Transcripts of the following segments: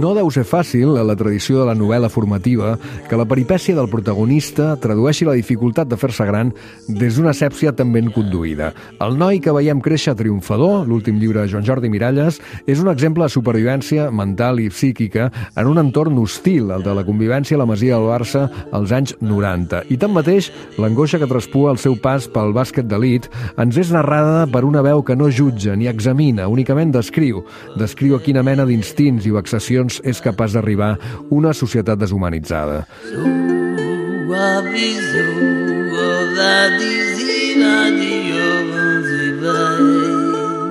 No deu ser fàcil, a la tradició de la novel·la formativa, que la peripècia del protagonista tradueixi la dificultat de fer-se gran des d'una sèpsia tan ben conduïda. El noi que veiem créixer triomfador, l'últim llibre de Joan Jordi Miralles, és un exemple de supervivència mental i psíquica en un entorn hostil, el de la convivència a la Masia del Barça als anys 90. I tanmateix, l'angoixa que traspua el seu pas pel bàsquet d'elit ens és narrada per una veu que no jutja ni examina, únicament descriu a quina mena d'instints i vexacions és capaç d'arribar una societat deshumanitzada.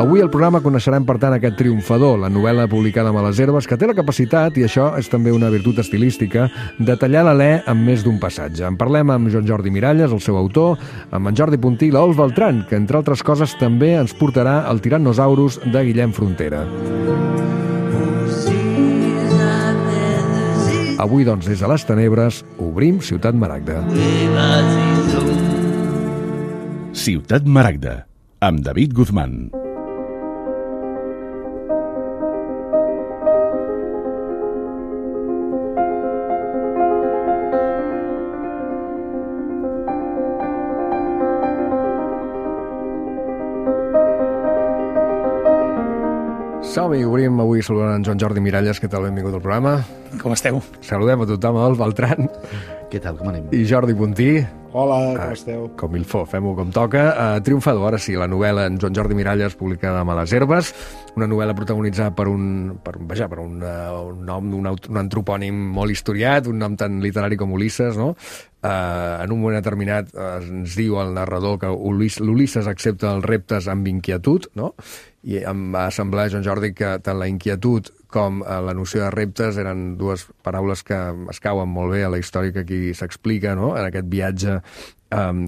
Avui al programa coneixerem, per tant, aquest triomfador, la novel·la publicada amb les herbes, que té la capacitat, i això és també una virtut estilística, de tallar l'alè amb més d'un passatge. En parlem amb Joan Jordi Miralles, el seu autor, amb en Jordi Puntí i l'Olf Beltran, que, entre altres coses, també ens portarà el Tyrannosaurus de Guillem Frontera. Avui, doncs, des de les tenebres, obrim Ciutat Maragda. Ciutat Maragda, amb David Guzmán. Som-hi, obrim avui saludant en Joan Jordi Miralles. Què tal? Benvingut al programa. Com esteu? Saludem a tothom, Olf Beltran. Què tal, com anem? I Jordi Puntí. Hola, com esteu? Com il fo, fem-ho com toca. Triomfador, ara sí, la novel·la en Joan Jordi Miralles, publicada amb les herbes, una novel·la protagonitzada per un nom, un antropònim molt historiat, un nom tan literari com Ulisses, no? En un moment determinat ens diu el narrador que l'Ulisses accepta els reptes amb inquietud, no? I em va semblar, Joan Jordi, que tant la inquietud com la noció de reptes eren dues paraules que es cauen molt bé a la història que aquí s'explica, no? En aquest viatge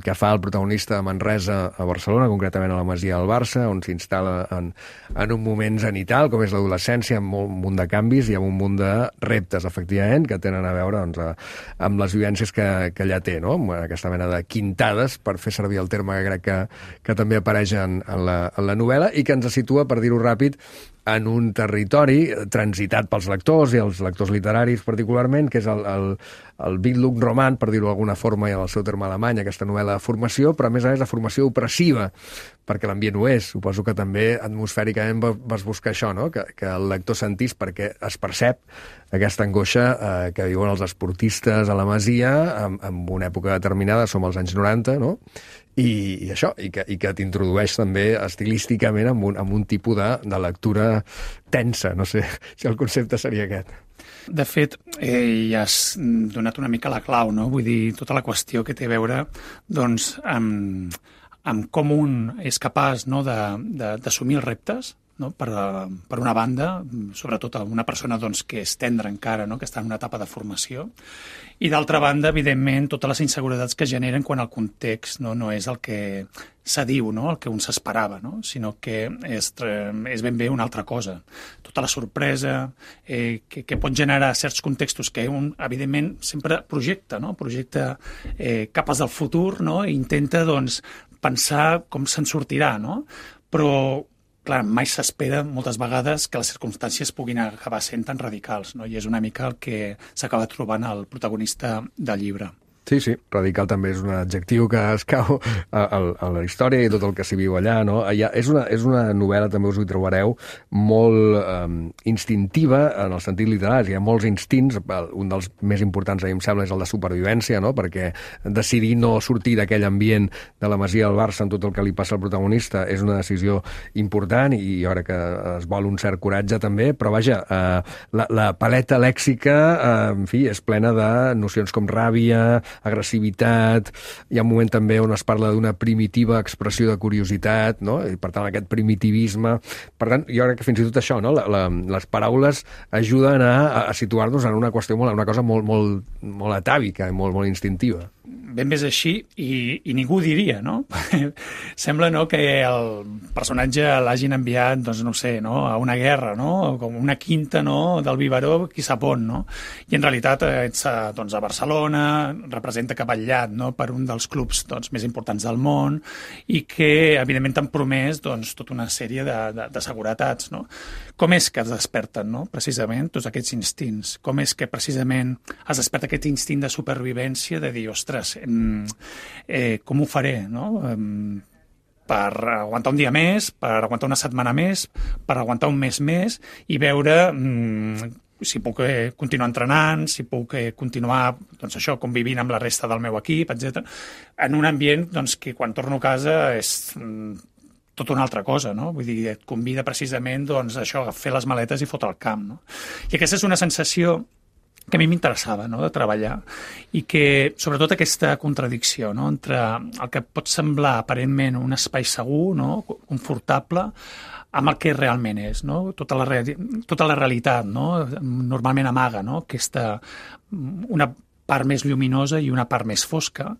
que fa el protagonista de Manresa a Barcelona, concretament a la Masia del Barça, on s'instal·la en un moment zenital, com és l'adolescència, amb un munt de canvis i amb un munt de reptes, efectivament, que tenen a veure amb les vivències que allà té, no? Aquesta mena de quintades, per fer servir el terme que crec que també apareix en la novel·la, i que ens situa, per dir-ho ràpid, en un territori transitat pels lectors i els lectors literaris particularment, que és el Bildungsroman, per dir-ho d'alguna forma, i en el seu terme alemany, aquesta novel·la de formació, però a més de formació opressiva, perquè l'ambient ho és. Suposo que també atmosfèricament vas buscar això, no? Que el lector sentís, perquè es percep aquesta angoixa que viuen els esportistes a la Masia en una època determinada, som als anys 90, no? I això, i que t'introdueix també estilísticament amb un tipus de lectura tensa. No sé si el concepte seria aquest. De fet, ja has donat una mica la clau, no? Vull dir, tota la qüestió que té a veure, doncs, amb com un és capaç, no, d'assumir els reptes, no? Per una banda, sobretot una persona, doncs, que és tendra encara, no? Que està en una etapa de formació, i d'altra banda, evidentment, totes les inseguretats que generen quan el context no és el que s'adiu, no? El que un s'esperava, no? Sinó que és ben bé una altra cosa. Tota la sorpresa que pot generar certs contextos que un, evidentment, sempre projecta, no? Projecta capes del futur, no? I intenta, doncs, pensar com se'n sortirà, no? Però clar, mai s'espera moltes vegades que les circumstàncies puguin acabar sent tan radicals, no? I és una mica el que s'acaba trobant el protagonista del llibre. Sí, radical també és un adjectiu que es cau a la història i tot el que s'hi viu allà, no? És una novel·la, també us ho trobareu, molt instintiva en el sentit literari. Hi ha molts instints, un dels més importants, a mi em sembla, és el de supervivència, no? Perquè decidir no sortir d'aquell ambient de la Masia del Barça amb tot el que li passa al protagonista és una decisió important i jo crec que es vol un cert coratge també, però vaja, la paleta lèxica, en fi, és plena de nocions com ràbia, agressivitat, hi ha un moment també on es parla d'una primitiva expressió de curiositat, no? I per tant aquest primitivisme, per tant jo crec que fins i tot això, no? Les paraules ajuden a situar-nos en una qüestió, una cosa molt atàvica i molt instintiva. ben bé és així i ningú ho diria, no? Sembla, no, que el personatge l'hagin enviat, doncs, no sé, no, a una guerra, no? Com una quinta, no?, del biberó, qui sap on, no? I en realitat ets doncs, a Barcelona, representa que ha vetllat, no?, per un dels clubs doncs, més importants del món i que, evidentment, t'han promès doncs, tota una sèrie de seguretats, no? Com és que es desperten, no?, precisament, tots aquests instints? Com és que, precisament, es desperta aquest instint de supervivència de dir, ostres, com ho faré, no?, per aguantar un dia més, per aguantar una setmana més, per aguantar un mes més i veure si puc continuar entrenant, si puc continuar doncs això, convivint amb la resta del meu equip, etc. En un ambient doncs, que quan torno a casa és tota una altra cosa, no? Vull dir, et convida precisament doncs, això, a fer les maletes i fotre el camp, no? I aquesta és una sensació que a mi m'interessava, no?, de treballar, i que, sobretot, aquesta contradicció, no?, entre el que pot semblar aparentment un espai segur, no?, confortable, amb el que realment és, no? Tota la realitat, no?, normalment amaga, no?, una part més lluminosa i una part més fosca.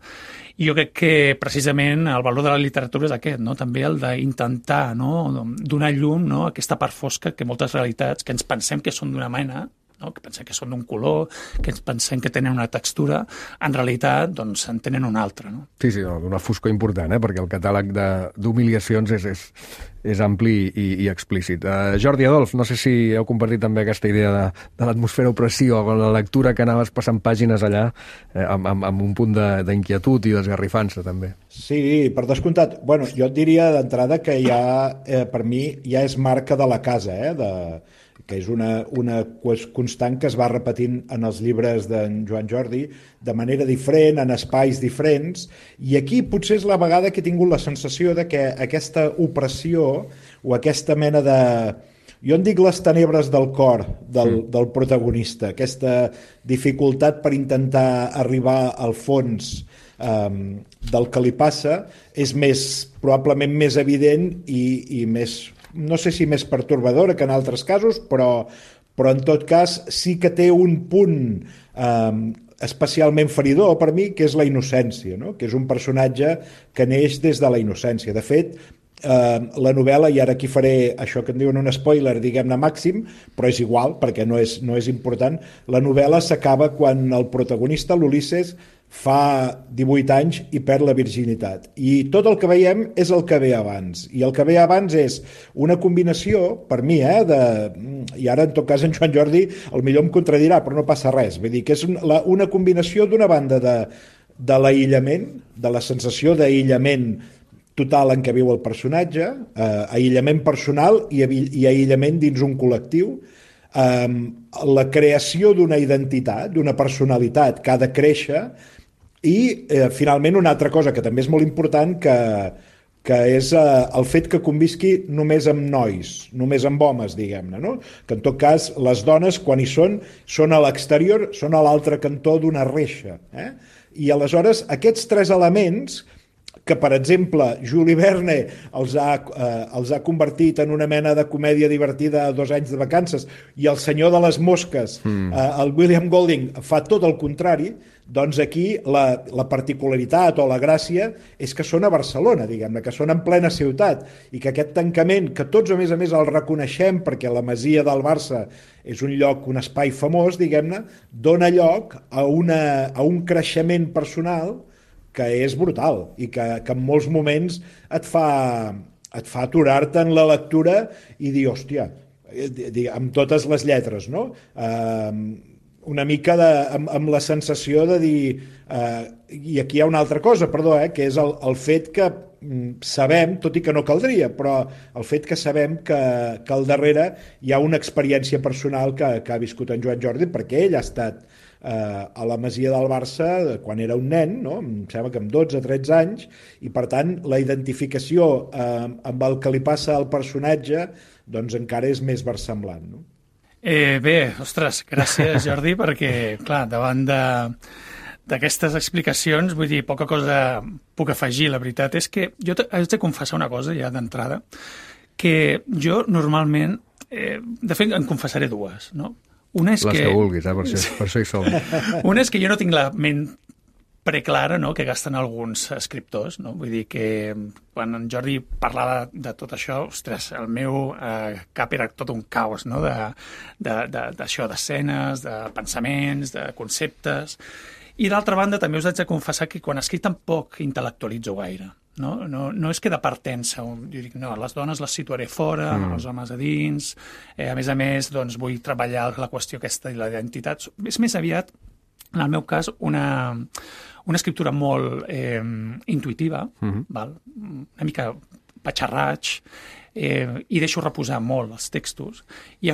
I jo crec que, precisament, el valor de la literatura és aquest, no?, també el d'intentar, no?, donar llum, no?, a aquesta part fosca que moltes realitats que ens pensem que són d'una mena, no?, que pensem que són d'un color, que ens pensem que tenen una textura, en realitat doncs, en tenen una altra. No? Sí, una foscor important, perquè el catàleg d'humiliacions és ampli i explícit. Jordi Adolf, no sé si heu compartit també aquesta idea de l'atmosfera opressió, o la lectura que anaves passant pàgines allà amb un punt d'inquietud i d'esgarrifança, també. Sí, per descomptat. Bueno, jo et diria d'entrada que ja, per mi, ja és marca de la casa, que és una constant que es va repetint en els llibres d'en Joan Jordi de manera diferent, en espais diferents, i aquí potser és la vegada que he tingut la sensació de que aquesta opressió o aquesta mena de... Jo en dic les tenebres del cor del protagonista, aquesta dificultat per intentar arribar al fons del que li passa és probablement més evident i més, no sé si més pertorbadora que en altres casos, però en tot cas sí que té un punt especialment feridor per mi, que és la innocència, no? Que és un personatge que neix des de la innocència. De fet, la novel·la, i ara aquí faré això que en diuen un spoiler, diguem-ne màxim, però és igual, perquè no és important, la novel·la s'acaba quan el protagonista, l'Ulisses, fa 18 anys i perd la virginitat. I tot el que veiem és el que ve abans. I el que ve abans és una combinació, per mi, i ara en tot cas en Joan Jordi potser em contradirà, però no passa res. Vull dir que és una combinació d'una banda de l'aïllament, de la sensació d'aïllament total en què viu el personatge, aïllament personal i aïllament dins un col·lectiu, la creació d'una identitat, d'una personalitat que ha de créixer, i finalment una altra cosa que també és molt important, que és el fet que convisqui només amb nois, només amb homes, diguem-ne, no? Que en tot cas les dones quan hi són a l'exterior, són a l'altre cantó d'una reixa. I aleshores aquests tres elements que, per exemple, Jules Verne els ha convertit en una mena de comèdia divertida a 2 anys de vacances, i El senyor de les mosques, el William Golding, fa tot el contrari, doncs aquí la particularitat o la gràcia és que són a Barcelona, diguem-ne, que són en plena ciutat, i que aquest tancament, que tots a més el reconeixem perquè la Masia del Barça és un lloc, un espai famós, diguem-ne, dona lloc a un creixement personal que és brutal i que en molts moments et fa aturar-te en la lectura i dir, hòstia, amb totes les lletres, no? Una mica amb la sensació de dir... I aquí hi ha una altra cosa, perdó, que és el fet que sabem, tot i que no caldria, però el fet que sabem que al darrere hi ha una experiència personal que ha viscut en Joan Jordi, perquè ell ha estat a la Masia del Barça quan era un nen, no? Em sembla que amb 12-13 anys, i per tant la identificació amb el que li passa al personatge doncs encara és més versemblant, no? Bé, ostres, gràcies Jordi, perquè clar, davant d'aquestes explicacions, vull dir, poca cosa puc afegir. La veritat és que jo haig de confessar una cosa ja d'entrada, que jo normalment, de fet en confessaré dues, no? Una és les que vulguis, per això hi som. Una és que jo no tinc la ment preclara, no?, que gasten alguns escriptors, no? Vull dir que quan en Jordi parlava de tot això, ostres, el meu cap era tot un caos, no?, d'això, d'escenes, de pensaments, de conceptes. I d'altra banda també us haig de confessar que quan escric tampoc intel·lectualitzo gaire. No és que de partença, jo dic, no, les dones les situaré fora, els homes a dins, a més, doncs, vull treballar la qüestió aquesta i la identitat. És més aviat, en el meu cas, una escriptura molt intuïtiva, val? Una mica patxarraig, i deixo reposar molt els textos, i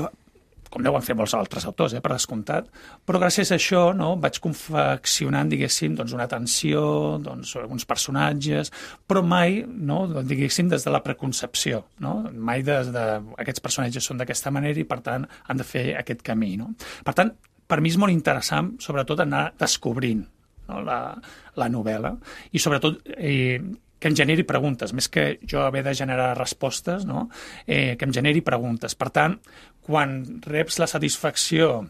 com deuen fer molts altres autors, per descomptat, però gràcies a això, no, vaig confeccionant, diguéssim, doncs, una tensió, doncs, uns personatges, però mai, no, diguéssim, des de la preconcepció, no? Mai des de aquests personatges són d'aquesta manera i, per tant, han de fer aquest camí, no? Per tant, per mi és molt interessant, sobretot, anar descobrint, no, la novel·la, i sobretot que em generi preguntes, més que jo haver de generar respostes, no? Que em generi preguntes. Per tant, quan reps la satisfacció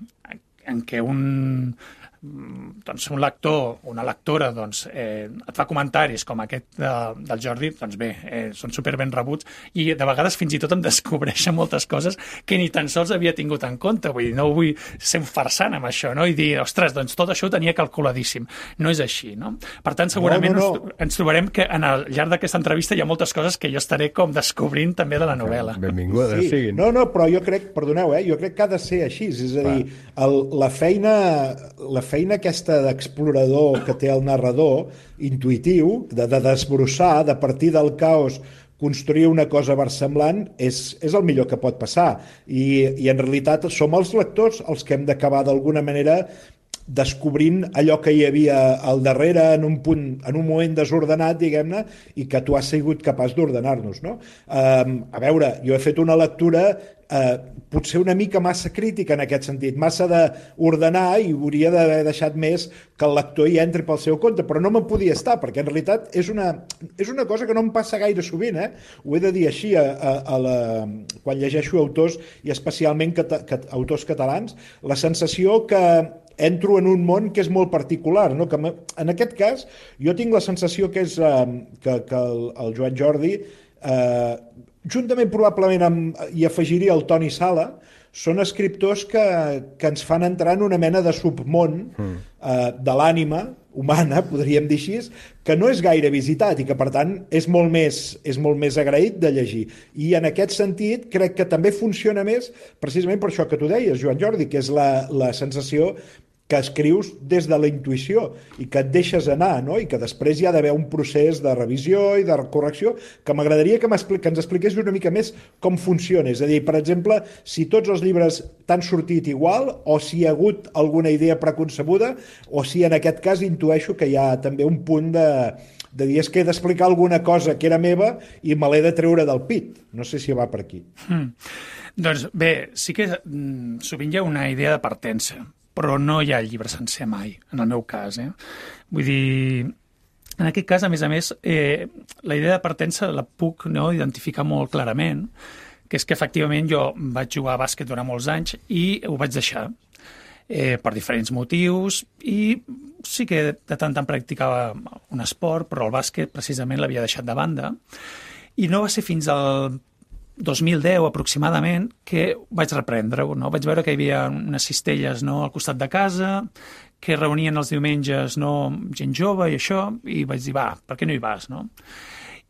en què un lector, una lectora, et fa comentaris com aquest del Jordi, doncs bé, són superben rebuts, i de vegades fins i tot em descobreixen moltes coses que ni tan sols havia tingut en compte. Vull dir, no vull ser un farsant amb això, no? I dir, ostres, doncs tot això ho tenia calculadíssim. No és així, no? Per tant, segurament ens trobarem que al llarg d'aquesta entrevista hi ha moltes coses que jo estaré com descobrint també de la novel·la. Benvinguda, siguin. No, però jo crec, perdoneu, jo crec que ha de ser així. És a dir, la feina aquesta d'explorador que té el narrador, intuïtiu, de desbrossar, de partir del caos, construir una cosa versemblant, és el millor que pot passar. I en realitat som els lectors els que hem d'acabar d'alguna manera descobrint allò que hi havia al darrere en un moment desordenat, diguem-ne, i que tu has sigut capaç d'ordenar-nos, no? A veure, jo he fet una lectura potser una mica massa crítica en aquest sentit, massa d'ordenar, i hauria d'haver deixat més que el lector hi entri pel seu compte, però no me'n podia estar, perquè en realitat és una cosa que no em passa gaire sovint, ho he de dir així, quan llegeixo autors, i especialment autors catalans, la sensació que entro en un món que és molt particular, no? Que en aquest cas jo tinc la sensació que és que el Joan Jordi, juntament probablement hi afegiria el Toni Sala, són escriptors que ens fan entrar en una mena de submón de l'ànima humana, podríem dir així, que no és gaire visitat i que, per tant, és molt més agraït de llegir. I en aquest sentit crec que també funciona més precisament per això que tu deies, Joan Jordi, que és la sensació que escrius des de la intuïció i que et deixes anar, no? I que després hi ha d'haver un procés de revisió i de correcció que m'agradaria que ens expliqués una mica més com funciona. És a dir, per exemple, si tots els llibres t'han sortit igual o si hi ha hagut alguna idea preconcebuda o si en aquest cas intueixo que hi ha també un punt de dir és que he d'explicar alguna cosa que era meva i me l'he de treure del pit. No sé si va per aquí. Doncs bé, sí que sovint hi ha una idea de partença, però no hi ha llibre sencer mai, en el meu cas. Vull dir, en aquest cas, a més, la idea de partença la puc identificar molt clarament, que és que efectivament jo vaig jugar a bàsquet durant molts anys i ho vaig deixar per diferents motius, i sí que de tant en tant practicava un esport, però el bàsquet precisament l'havia deixat de banda, i no va ser fins al 2010 aproximadament que vaig reprendre-ho, no? Vaig veure que hi havia unes cistelles al costat de casa que reunien els diumenges gent jove i això, i vaig dir, va, per què no hi vas, no?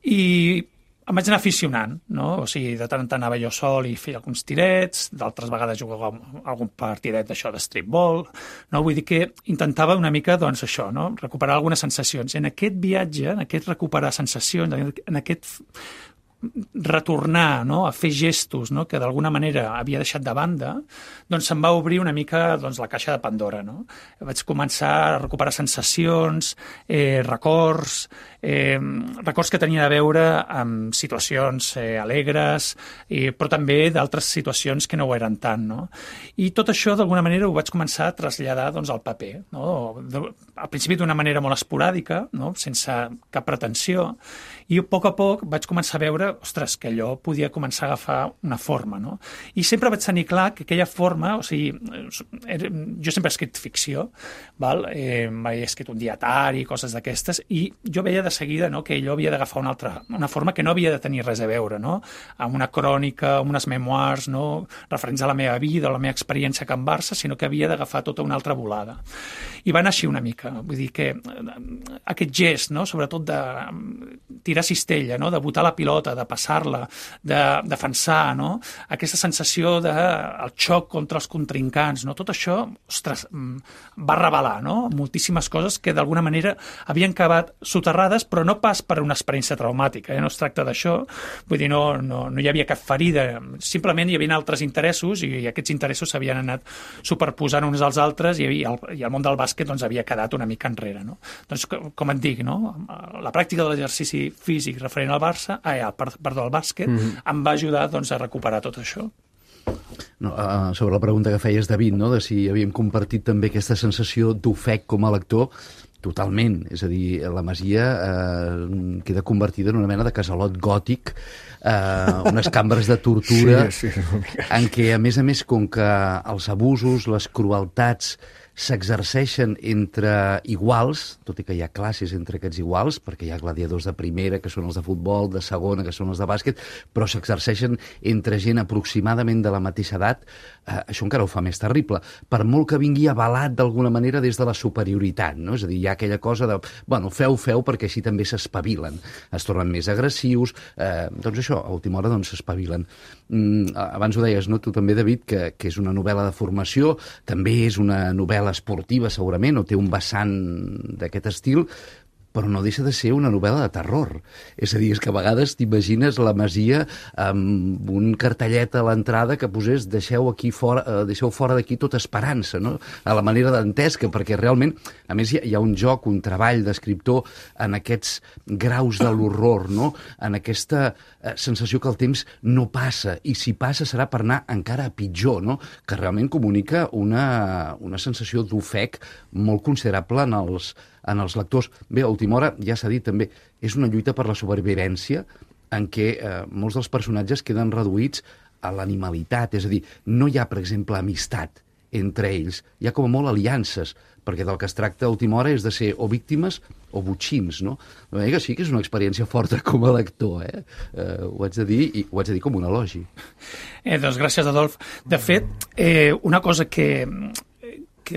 I em vaig anar aficionant, no? O sigui, de tant en tant anava jo sol i feia alguns tirets, d'altres vegades jugava algun partidet d'això de streetball, no? Vull dir que intentava una mica, doncs, això, no? Recuperar algunes sensacions. En aquest viatge, en aquest recuperar sensacions, en aquest retornar a fer gestos que d'alguna manera havia deixat de banda, doncs se'm va obrir una mica la caixa de Pandora. Vaig començar a recuperar sensacions, records que tenien a veure amb situacions alegres, però també d'altres situacions que no ho eren tant. I tot això d'alguna manera ho vaig començar a traslladar al paper. Al principi d'una manera molt esporàdica, sense cap pretensió, I a poc vaig començar a veure, ostres, que allò podia començar a agafar una forma, no? I sempre vaig tenir clar que aquella forma, o sigui, jo sempre he escrit ficció, val? He escrit un dietari, coses d'aquestes, i jo veia de seguida, no?, que allò havia d'agafar una forma que no havia de tenir res a veure, no?, amb una crònica, amb unes memoirs, no?, referents a la meva vida, a la meva experiència a Can Barça, sinó que havia d'agafar tota una altra volada. I va anar així una mica. Vull dir que aquest gest, no?, sobretot de tirar cistella, no?, de botar la pilota, de passar-la, de defensar, no?, aquesta sensació del xoc contra els contrincants, no?, tot això, ostres, va revelar, no?, moltíssimes coses que d'alguna manera havien quedat soterrades, però no pas per una experiència traumàtica, no es tracta d'això, vull dir, no hi havia cap ferida, simplement hi havia altres interessos i aquests interessos s'havien anat superposant uns als altres i el món del bàsquet doncs, havia quedat una mica enrere. No? Doncs, com et dic, no? La pràctica de l'exercici físic referent al Barça, al bàsquet, em va ajudar doncs, a recuperar tot això. No, sobre la pregunta que feies, David, no? De si havíem compartit també aquesta sensació d'ofec com a lector, totalment. És a dir, la Masia queda convertida en una mena de casalot gòtic, unes cambres de tortura, en què, a més, com que els abusos, les crueltats s'exerceixen entre iguals, tot i que hi ha classes entre aquests iguals, perquè hi ha gladiadors de primera, que són els de futbol, de segona, que són els de bàsquet, però s'exerceixen entre gent aproximadament de la mateixa edat, això encara ho fa més terrible, per molt que vingui avalat d'alguna manera des de la superioritat, no? És a dir, hi ha aquella cosa de, bueno, feu perquè així també s'espavilen, es tornen més agressius, doncs això, a última hora doncs s'espavilen. Abans ho deies, no? Tu també, David, que és una novel·la de formació, també és una novel·la esportiva segurament, o té un vessant d'aquest estil, però no deixa de ser una novel·la de terror. És a dir, és que a vegades t'imagines la Masia amb un cartellet a l'entrada que posés deixeu fora d'aquí tota esperança, no? A la manera d'Antesca, perquè realment, a més, hi ha un joc, un treball d'escriptor en aquests graus de l'horror, no? En aquesta sensació que el temps no passa, i si passa serà per anar encara a pitjor, no? Que realment comunica una sensació d'ofec molt considerable en els lectors. Bé, a última hora, ja s'ha dit també, és una lluita per la supervivència en què molts dels personatges queden reduïts a l'animalitat, és a dir, no hi ha, per exemple, amistat entre ells, hi ha com a molt aliances, perquè del que es tracta a última hora és de ser o víctimes o botxins, no? De manera que sí que és una experiència forta com a lector, ho haig de dir, i ho haig de dir com un elogi. Doncs gràcies, Adolf. De fet, una cosa que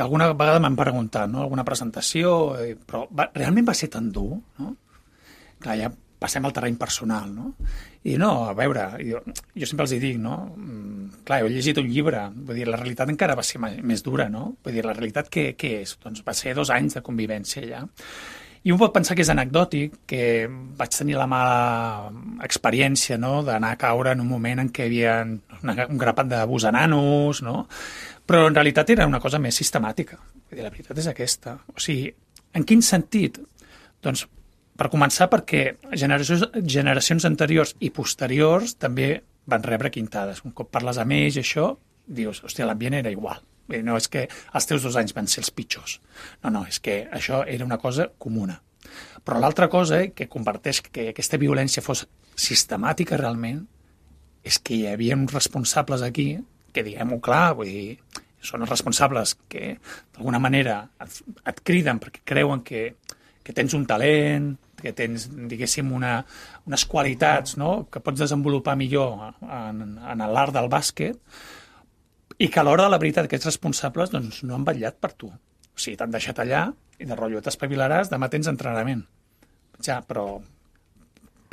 alguna vegada m'han preguntat, no?, alguna presentació, però realment va ser tan dur, no? Clar, ja passem al terreny personal, no? I no, a veure, jo sempre els hi dic, no? Clar, he llegit un llibre, vull dir, la realitat encara va ser més dura, no? Vull dir, la realitat què és? Doncs va ser 2 anys de convivència allà. I un pot pensar que és anecdòtic, que vaig tenir la mala experiència, no?, d'anar a caure en un moment en què hi havia un grapat d'abús a nanos, no?, però en realitat era una cosa més sistemàtica. Vull dir, la veritat és aquesta. O sigui, en quin sentit? Doncs, per començar, perquè generacions anteriors i posteriors també van rebre quintades. Un cop parles amb ells, això, dius, hòstia, l'ambient era igual. No és que els teus 2 anys van ser els pitjors. No, és que això era una cosa comuna. Però l'altra cosa que comparteix que aquesta violència fos sistemàtica realment és que hi havia uns responsables aquí que, diguem-ho clar, vull dir, són els responsables que d'alguna manera et criden perquè creuen que tens un talent, que tens, diguéssim, unes qualitats, no?, que pots desenvolupar millor en l'art del bàsquet, i que a l'hora de la veritat aquests responsables doncs, no han vetllat per tu. O sigui, t'han deixat allà i de rotllo t'espavilaràs, demà tens entrenament. Ja, però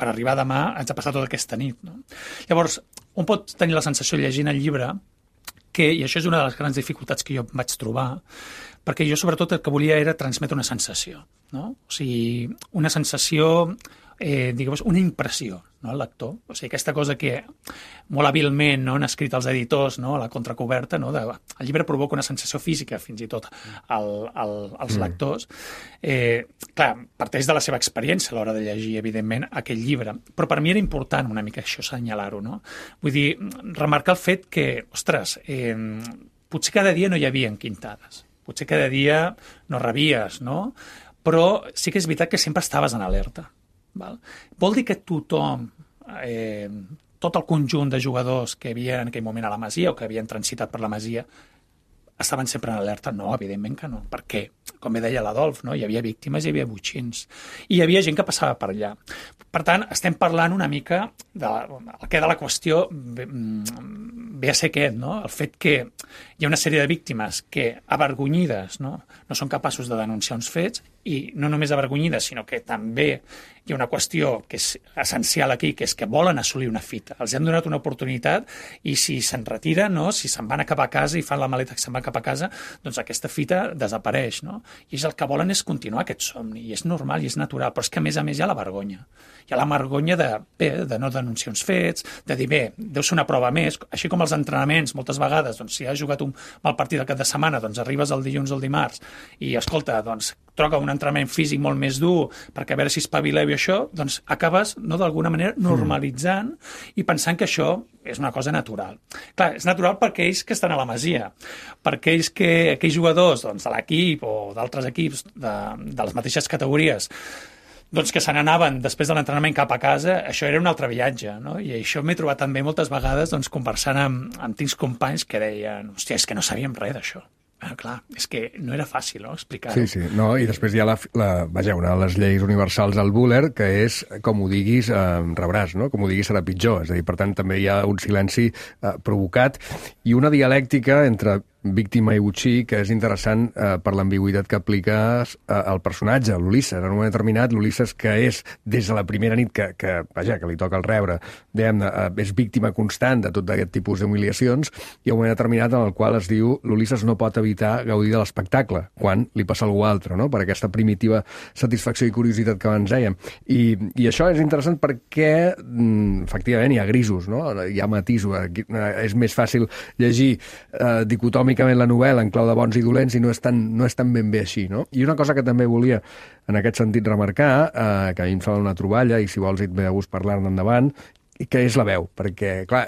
per arribar demà haig de passar tota aquesta nit. No? Llavors, un pot tenir la sensació llegint el llibre i això és una de les grans dificultats que jo vaig trobar, perquè jo sobretot el que volia era transmetre una sensació, no? O sigui, una sensació, diguem, una impressió, no, al lector. O sigui, aquesta cosa que molt hàbilment, no, han escrit els editors, no, a la contracoberta, no, el llibre provoca una sensació física, fins i tot, als lectors. Clar, parteix de la seva experiència a l'hora de llegir, evidentment, aquell llibre, però per mi era important una mica això, assenyalar-ho, no? Vull dir, remarcar el fet que, ostres, potser cada dia no hi havia quintades, potser cada dia no rebies, no? Però sí que és veritat que sempre estaves en alerta. Val? Vol dir que tothom, tot el conjunt de jugadors que havia en aquell moment a la Masia o que havien transitat per la Masia estaven sempre en alerta? No, evidentment que no. Per què? Com bé deia l'Adolf, no? Hi havia víctimes, hi havia botxins. I hi havia gent que passava per allà. Per tant, estem parlant una mica el que de la qüestió ve a ser aquest, no? El fet que hi ha una sèrie de víctimes que, avergonyides, no són capaços de denunciar uns fets, i no només avergonyides, sinó que també hi ha una qüestió que és essencial aquí, que és que volen assolir una fita. Els hem donat una oportunitat i si se'n retiren, no? Si se'n van a cap a casa i fan la maleta que se'n van cap a casa, doncs aquesta fita desapareix, no? I el que volen és continuar aquest somni, i és normal i és natural, però és que a més hi ha la vergonya. Hi ha la vergonya de no denunciar uns fets, de dir, bé, deu ser una prova més, així com els entrenaments, moltes vegades, doncs, si has jugat un mal partit al cap de setmana, doncs arribes el dilluns o el dimarts i, escolta, doncs, troca un entrenament físic molt més dur perquè a veure si espavileu i això, doncs acabes, no, d'alguna manera, normalitzant i pensant que això és una cosa natural. Clar, és natural per aquells que estan a la Masia, per aquells jugadors doncs, de l'equip o d'altres equips de les mateixes categories doncs que se n'anaven després de l'entrenament cap a casa, això era un altre viatge, no? I això m'he trobat també moltes vegades doncs, conversant amb tincs companys que deien, hòstia, és que no sabíem res d'això. Clar, és que no era fàcil, no?, explicar-ho. Sí, no, i després hi ha una de les lleis universals al Buller, que és, com ho diguis, rebràs, no? Com ho diguis serà pitjor. És a dir, per tant, també hi ha un silenci provocat i una dialèctica entre víctima i botxí, que és interessant per l'ambigüitat que apliques al personatge, l'Ulisses. En un moment determinat, l'Ulisses, que és des de la primera nit que li toca el rebre, és víctima constant de tot aquest tipus d'humiliacions, i un moment determinat en el qual es diu l'Ulisses no pot evitar gaudir de l'espectacle, quan li passa a algú altre, no? Per aquesta primitiva satisfacció i curiositat que abans dèiem. I això és interessant perquè, efectivament, hi ha grisos, no? Hi ha matisos. És més fàcil llegir dicotòmicament la novel·la en clau de bons i dolents i no és tan ben bé així, no? I una cosa que també volia en aquest sentit remarcar, que a mi em sembla una troballa, i si vols et ve de gust parlar-ne endavant, que és la veu, perquè, clar,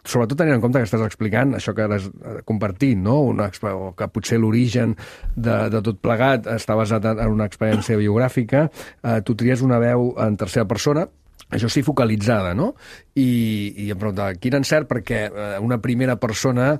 sobretot tenint en compte que estàs explicant això que has compartit, no? O que potser l'origen de tot plegat està basat en una experiència biogràfica, tu tries una veu en tercera persona, això sí, focalitzada, no? I em preguntava, quin encert, perquè una primera persona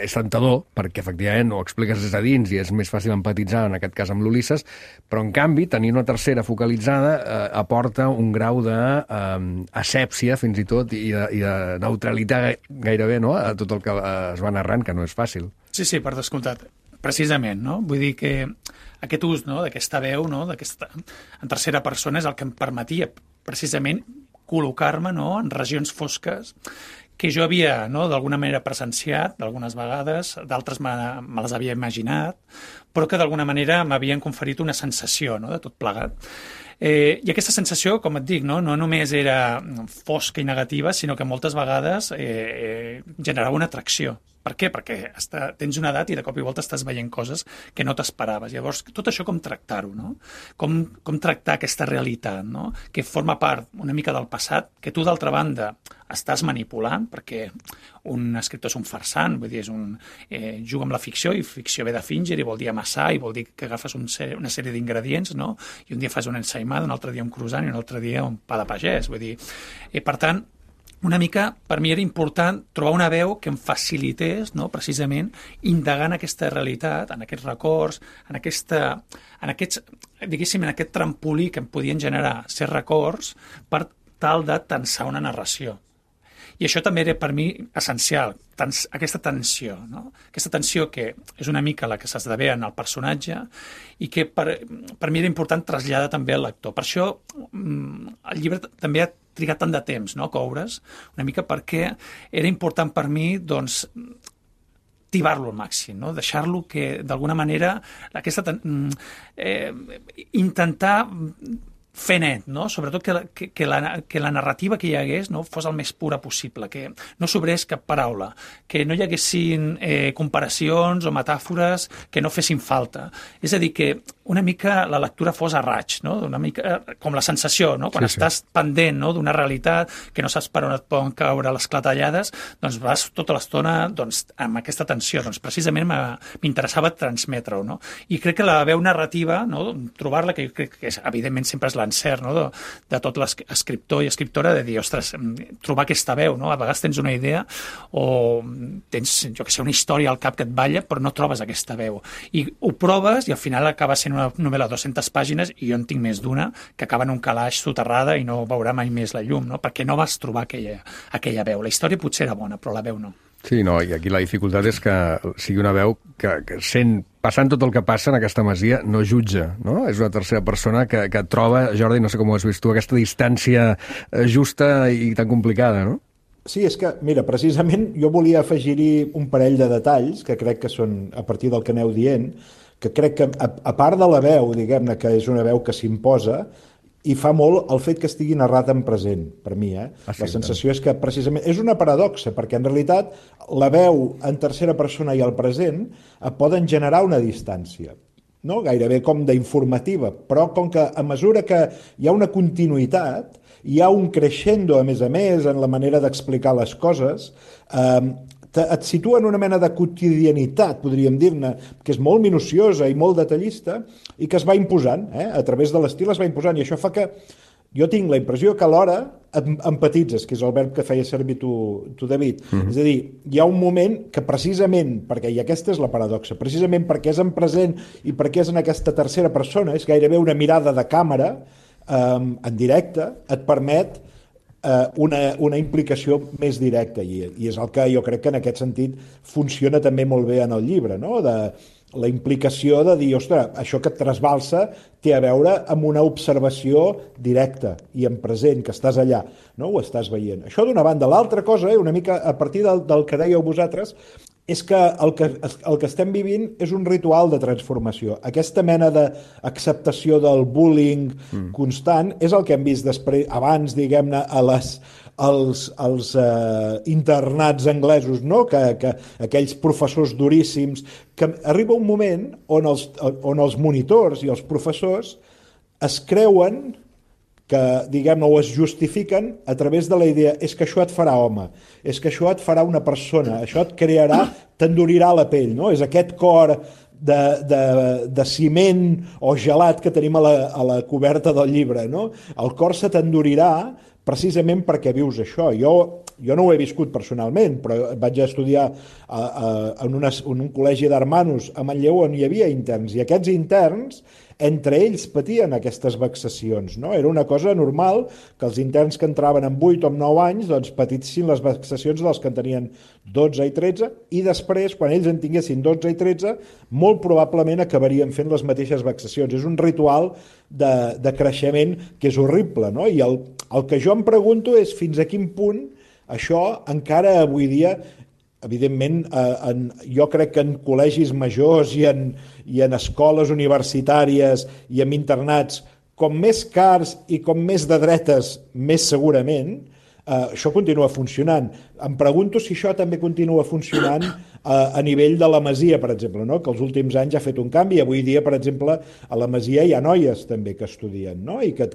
és tentador, perquè efectivament ho expliques des de dins i és més fàcil empatitzar, en aquest cas amb l'Ulisses, però en canvi, tenir una tercera focalitzada aporta un grau d'asèpsia, fins i tot, i de neutralitat gairebé, no?, a tot el que es va narrant, que no és fàcil. Sí, per descomptat. Precisament, no? Vull dir que aquest ús, no?, d'aquesta veu, no?, en tercera persona és el que em permetia precisament col·locar-me, no?, en regions fosques que jo havia, no?, d'alguna manera presenciat, d'algunes vegades, d'altres me les havia imaginat, però que d'alguna manera m'havien conferit una sensació, no?, de tot plegat. I aquesta sensació, com et dic, no només era fosca i negativa, sinó que moltes vegades generava una atracció. Per què? Perquè tens una edat i de cop i volta estàs veient coses que no t'esperaves. Llavors, tot això com tractar-ho, no? Com tractar aquesta realitat, no? Que forma part una mica del passat, que tu, d'altra banda, estàs manipulant, perquè un escriptor és un farsant, vull dir, juga amb la ficció, i ficció ve de fínger, i vol dir amassar, i vol dir que agafes una sèrie d'ingredients, no? I un dia fas una ensaïmada, un altre dia un croissant, i un altre dia un pa de pagès, vull dir. Per tant, una mica, per mi era important trobar una veu que em facilités, no?, precisament, indagar en aquesta realitat, en aquests records, en aquest trampolí que em podien generar ser records per tal de tensar una narració. I això també era per mi essencial, aquesta tensió, no? Aquesta tensió que és una mica la que s'esdevé en el personatge i que per mi era important traslladar també al lector. Per això el llibre també ha trigat tant de temps, no?, a coure's, una mica perquè era important per mi, doncs, tibar-lo al màxim, no? Deixar-lo que, d'alguna manera, intentar fer net, no? Sobretot que la narrativa que hi hagués, no?, fos el més pura possible, que no sobrés cap paraula, que no hi haguessin comparacions o metàfores que no fessin falta. És a dir, que una mica la lectura fos a raig, no? Una mica com la sensació, no? Quan estàs pendent, no? D'una realitat que no saps per on et poden caure les clatellades, doncs vas tota l'estona amb aquesta tensió. Doncs precisament m'interessava transmetre-ho, no? I crec que la veu narrativa, no? Trobar-la, que jo crec que evidentment sempre és l'encert, no? De tot l'escriptor i escriptora, de dir, ostres, trobar aquesta veu, no? A vegades tens una idea o tens, jo que sé, una història al cap que et balla, però no trobes aquesta veu. I ho proves i al final acaba sent una novel·la de 200 pàgines, i jo en tinc més d'una, que acaba en un calaix soterrada i no veurà mai més la llum, no? Perquè no vas trobar aquella veu. La història potser era bona, però la veu no. Sí, no, i aquí la dificultat és que sigui una veu que passant tot el que passa en aquesta masia, no jutja, no? És una tercera persona que troba, Jordi, no sé com ho has vist tu, aquesta distància justa i tan complicada, no? Sí, és que, mira, precisament jo volia afegir-hi un parell de detalls que crec que són, a partir del que aneu dient, que crec que, a part de la veu, diguem-ne, que és una veu que s'imposa, i fa molt el fet que estigui narrat en present, per mi. La sensació és que, precisament, és una paradoxa, perquè en realitat la veu en tercera persona i el present poden generar una distància, no? Gairebé com d'informativa, però com que a mesura que hi ha una continuïtat, hi ha un crescendo, a més, en la manera d'explicar les coses, et situa en una mena de quotidianitat, podríem dir-ne, que és molt minuciosa i molt detallista, i que es va imposant, a través de l'estil es va imposant, i això fa que jo tinc la impressió que alhora empatitzes, que és el verb que feia servir tu David. És a dir, hi ha un moment que precisament, perquè i aquesta és la paradoxa, precisament perquè és en present i perquè és en aquesta tercera persona, és gairebé una mirada de càmera, en directe, et permet una implicació més directa, i és el que jo crec que en aquest sentit funciona també molt bé en el llibre, no? De la implicació de dir, ostres, això que et trasbalsa té a veure amb una observació directa i en present, que estàs allà, no? Ho estàs veient. Això d'una banda. L'altra cosa, una mica a partir del que dèieu vosaltres, és que el que estem vivint és un ritual de transformació. Aquesta mena d'acceptació del bullying constant és el que hem vist abans, diguem-ne, als internats anglesos, no? Que aquells professors duríssims, que arriba un moment on els monitors i els professors es creuen que, diguem-ne, o es justifiquen a través de la idea, és que això et farà home, és que això et farà una persona, això et crearà, t'endurirà la pell, no? És aquest cor de ciment o gelat que tenim a la coberta del llibre, no? El cor se t'endurirà precisament perquè vius això. Jo no ho he viscut personalment, però vaig estudiar en un col·legi d'hermanos a Manlleu on hi havia interns, i aquests interns entre ells patien aquestes vexacions, no? Era una cosa normal que els interns que entraven amb 8 o amb 9 anys doncs patissin les vexacions dels que en tenien 12 i 13, i després, quan ells en tinguessin 12 i 13, molt probablement acabarien fent les mateixes vexacions. És un ritual de creixement que és horrible, no? I el que jo em pregunto és fins a quin punt això encara avui dia, evidentment, jo crec que en col·legis majors i en escoles universitàries i en internats, com més cars i com més de dretes, més segurament, això continua funcionant. Em pregunto si això també continua funcionant a nivell de la Masia, per exemple, no? Que els últims anys ha fet un canvi. Avui dia, per exemple, a la Masia hi ha noies també que estudien, no? I que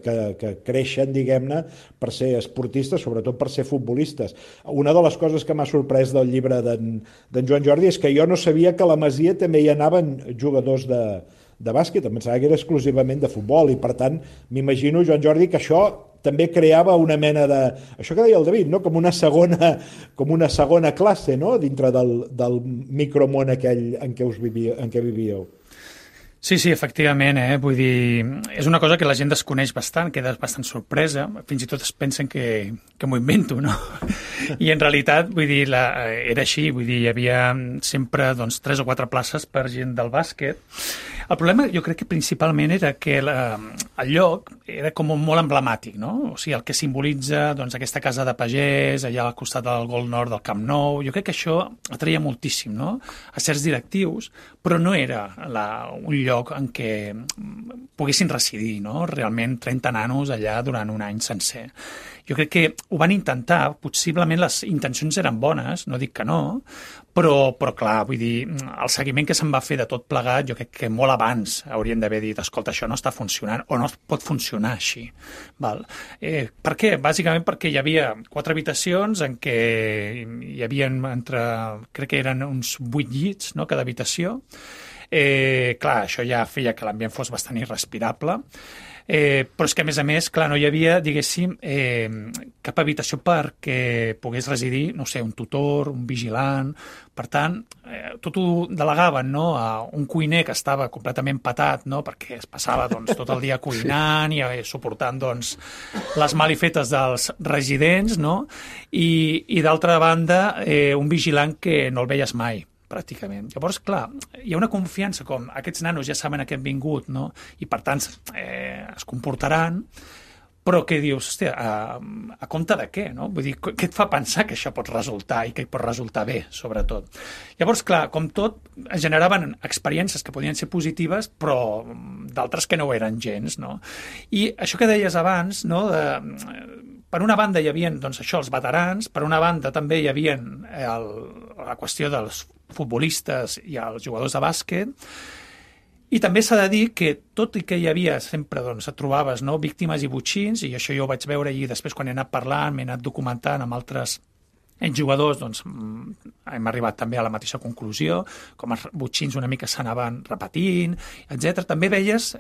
creixen, diguem-ne, per ser esportistes, sobretot per ser futbolistes. Una de les coses que m'ha sorprès del llibre d'en Joan Jordi és que jo no sabia que a la Masia també hi anaven jugadors de bàsquet, em pensava que era exclusivament de futbol, i per tant m'imagino, Joan Jordi, que això també creava una mena de... Això que deia el David, no? Com una segona classe, no? Dintre del micromón aquell en què vivíeu. Sí, efectivament, vull dir, és una cosa que la gent desconeix bastant, queda bastant sorpresa, fins i tot es pensen que m'ho invento, no? I en realitat, vull dir, era així, vull dir, hi havia sempre 3 o 4 places per gent del bàsquet. El problema jo crec que principalment era que el lloc era com molt emblemàtic, no? O sigui, el que simbolitza aquesta casa de pagès, allà al costat del Gol Nord del Camp Nou, jo crec que això atreia moltíssim, no? A certs directius, però no era un lloc en què poguessin residir, no? Realment 30 nanos allà durant un any sencer. jo crec que ho van intentar, possiblement les intencions eren bones, no dic que no, però clar, vull dir, el seguiment que se'n va fer de tot plegat, jo crec que molt abans haurien d'haver dit, escolta, això no està funcionant, o no pot funcionar així. Val? Per què? Bàsicament perquè hi havia 4 habitacions en què hi havia crec que eren uns 8 llits, no?, cada habitació. Clar, això ja feia que l'ambient fos bastant irrespirable, però és que, a més, clar, no hi havia, diguéssim, cap habitació perquè pogués residir, no sé, un tutor, un vigilant. Per tant, tot ho delegaven, no?, a un cuiner que estava completament patat, no?, perquè es passava doncs, tot el dia cuinant i suportant doncs, les malifetes dels residents, no?, i d'altra banda, un vigilant que no el veies mai, pràcticament. Llavors, clar, hi ha una confiança com aquests nanos ja saben a què han vingut, no?, i per tant es comportaran, però que dius, hòstia, a compte de què, no? Vull dir, què et fa pensar que això pot resultar i que pot resultar bé, sobretot? Llavors, clar, com tot, es generaven experiències que podien ser positives, però d'altres que no ho eren gens, no? I això que deies abans, no?, per una banda hi havia, doncs, això, els veterans, per una banda també hi havia la qüestió dels futbolistes i els jugadors de bàsquet, i també s'ha de dir que, tot i que hi havia sempre, doncs, et trobaves, no?, víctimes i botxins, i això jo ho vaig veure i després quan he anat parlant, m'he anat documentant amb altres jugadors, doncs, hem arribat també a la mateixa conclusió, com els botxins una mica s'anaven repetint, etc. També veies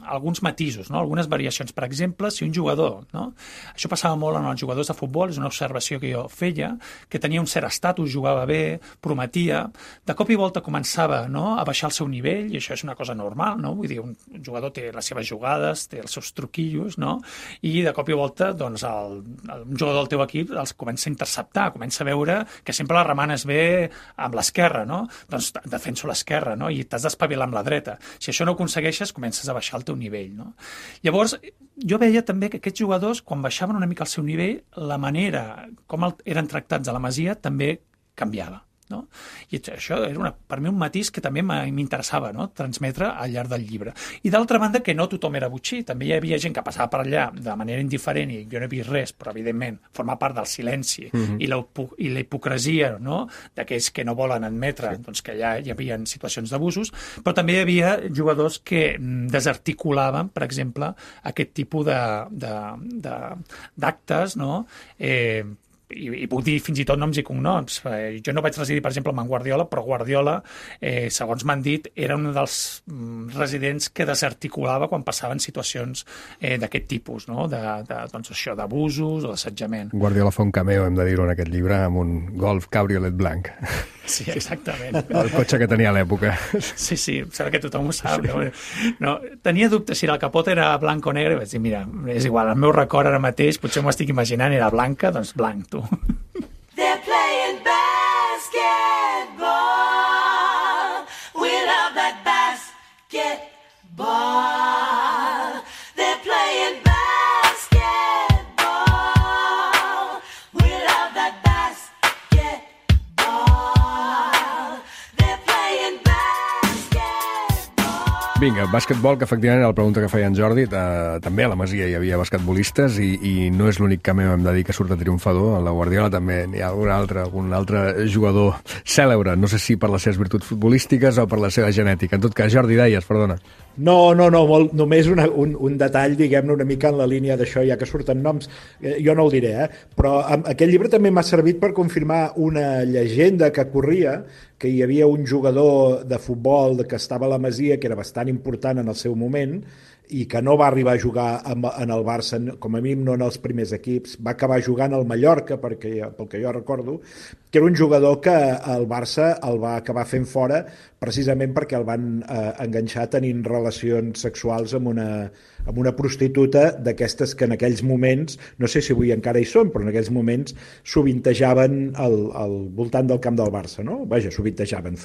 alguns matisos, no?, algunes variacions. Per exemple, si un jugador, no?, això passava molt en els jugadors de futbol, és una observació que jo feia, que tenia un cert estatus, jugava bé, prometia, de cop i volta començava, no?, a baixar el seu nivell, i això és una cosa normal, no?, vull dir, un jugador té les seves jugades, té els seus truquillos, no?, i de cop i volta, doncs, un jugador del teu equip els comença a interceptar, comença a veure que sempre la remanes bé amb l'esquerra, no? Doncs defenso l'esquerra, no? I t'has d'espavilar amb la dreta. Si això no ho aconsegueixes, comences a baixar el teu nivell, no? Llavors, jo veia també que aquests jugadors, quan baixaven una mica el seu nivell, la manera com eren tractats a la Masia també canviava, no? I això era per mi un matís que també m'interessava, no?, transmetre al llarg del llibre. I d'altra banda, que no tothom era botxí, també hi havia gent que passava per allà de manera indiferent i jo no he vist res, però evidentment forma part del silenci i la hipocresia, no?, d'aquells que no volen admetre doncs, que allà hi havia situacions d'abusos, però també hi havia jugadors que desarticulaven, per exemple, aquest tipus d'actes, no?, i puc dir fins i tot noms i cognoms. Jo no vaig residir, per exemple, amb en Guardiola, però Guardiola, segons m'han dit, era un dels residents que desarticulava quan passaven situacions d'aquest tipus, no?, doncs això, d'abusos o d'assetjament. Guardiola fa un cameo, hem de dir-ho, en aquest llibre, amb un Golf Cabriolet blanc. Sí, exactament. El cotxe que tenia a l'època. Sí, sembla que tothom ho sap. No, tenia dubtes si el capot era blanc o negre, i vaig dir, mira, és igual, el meu record ara mateix, potser m'ho estic imaginant, era blanca, doncs blanc, tu. They're playing basketball. We love that basketball. They're playing basketball. We love that basketball. They're playing basketball. Vinga, bàsquetbol, que efectivament era la pregunta que feia en Jordi. També a la Masia hi havia basquetbolistes i no és l'únic cameo, hem de dir, que surt a triomfador. A la Guardiola també n'hi ha algun altre jugador cèlebre. No sé si per les seves virtuts futbolístiques o per la seva genètica. En tot cas, Jordi, deies, perdona. No, només un detall, diguem-ne, una mica en la línia d'això, ja que surten noms, jo no el diré, però aquest llibre també m'ha servit per confirmar una llegenda que corria, que hi havia un jugador de futbol que estava a la Masia, que era bastant important en el seu moment, i que no va arribar a jugar en el Barça, com a mínim no en els primers equips, va acabar jugant al Mallorca, pel que jo recordo, que era un jugador que el Barça el va acabar fent fora precisament perquè el van enganxar tenint relacions sexuals amb una prostituta d'aquestes que en aquells moments, no sé si avui encara hi són, però en aquells moments sovintejaven al voltant del camp del Barça, no? Vaja, sovintejaven,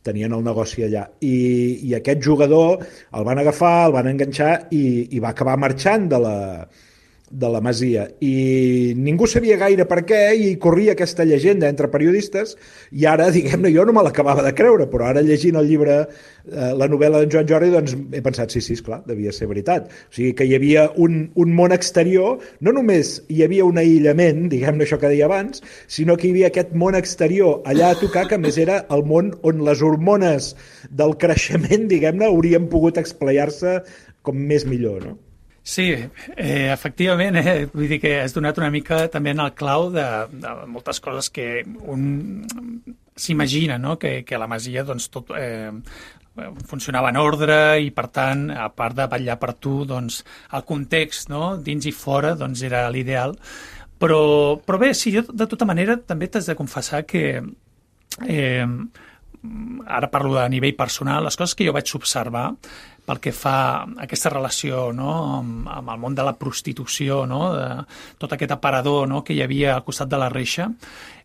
tenien el negoci allà. I aquest jugador el van agafar, el van enganxar i va acabar marxant de de la Masia, i ningú sabia gaire per què, i corria aquesta llegenda entre periodistes, i ara, diguem-ne, jo no me l'acabava de creure, però ara llegint el llibre, la novel·la d'en Joan Jordi, doncs he pensat, sí, esclar, devia ser veritat. O sigui, que hi havia un món exterior, no només hi havia un aïllament, diguem-ne això que deia abans, sinó que hi havia aquest món exterior allà a tocar, que a més era el món on les hormones del creixement, diguem-ne, haurien pogut esplaiar-se com més millor, no? Sí, efectivament, vull dir que has donat una mica també en el clau de moltes coses que un s'imagina, no? Que la Masia doncs, tot funcionava en ordre i, per tant, a part de vetllar per tu, doncs, el context, no? Dins i fora, doncs, era l'ideal. Però bé, sí, jo de tota manera també t'has de confessar que ara parlo a nivell personal, les coses que jo vaig observar pel que fa a aquesta relació, no? amb el món de la prostitució, no? De tot aquest aparador, no? Que hi havia al costat de la reixa,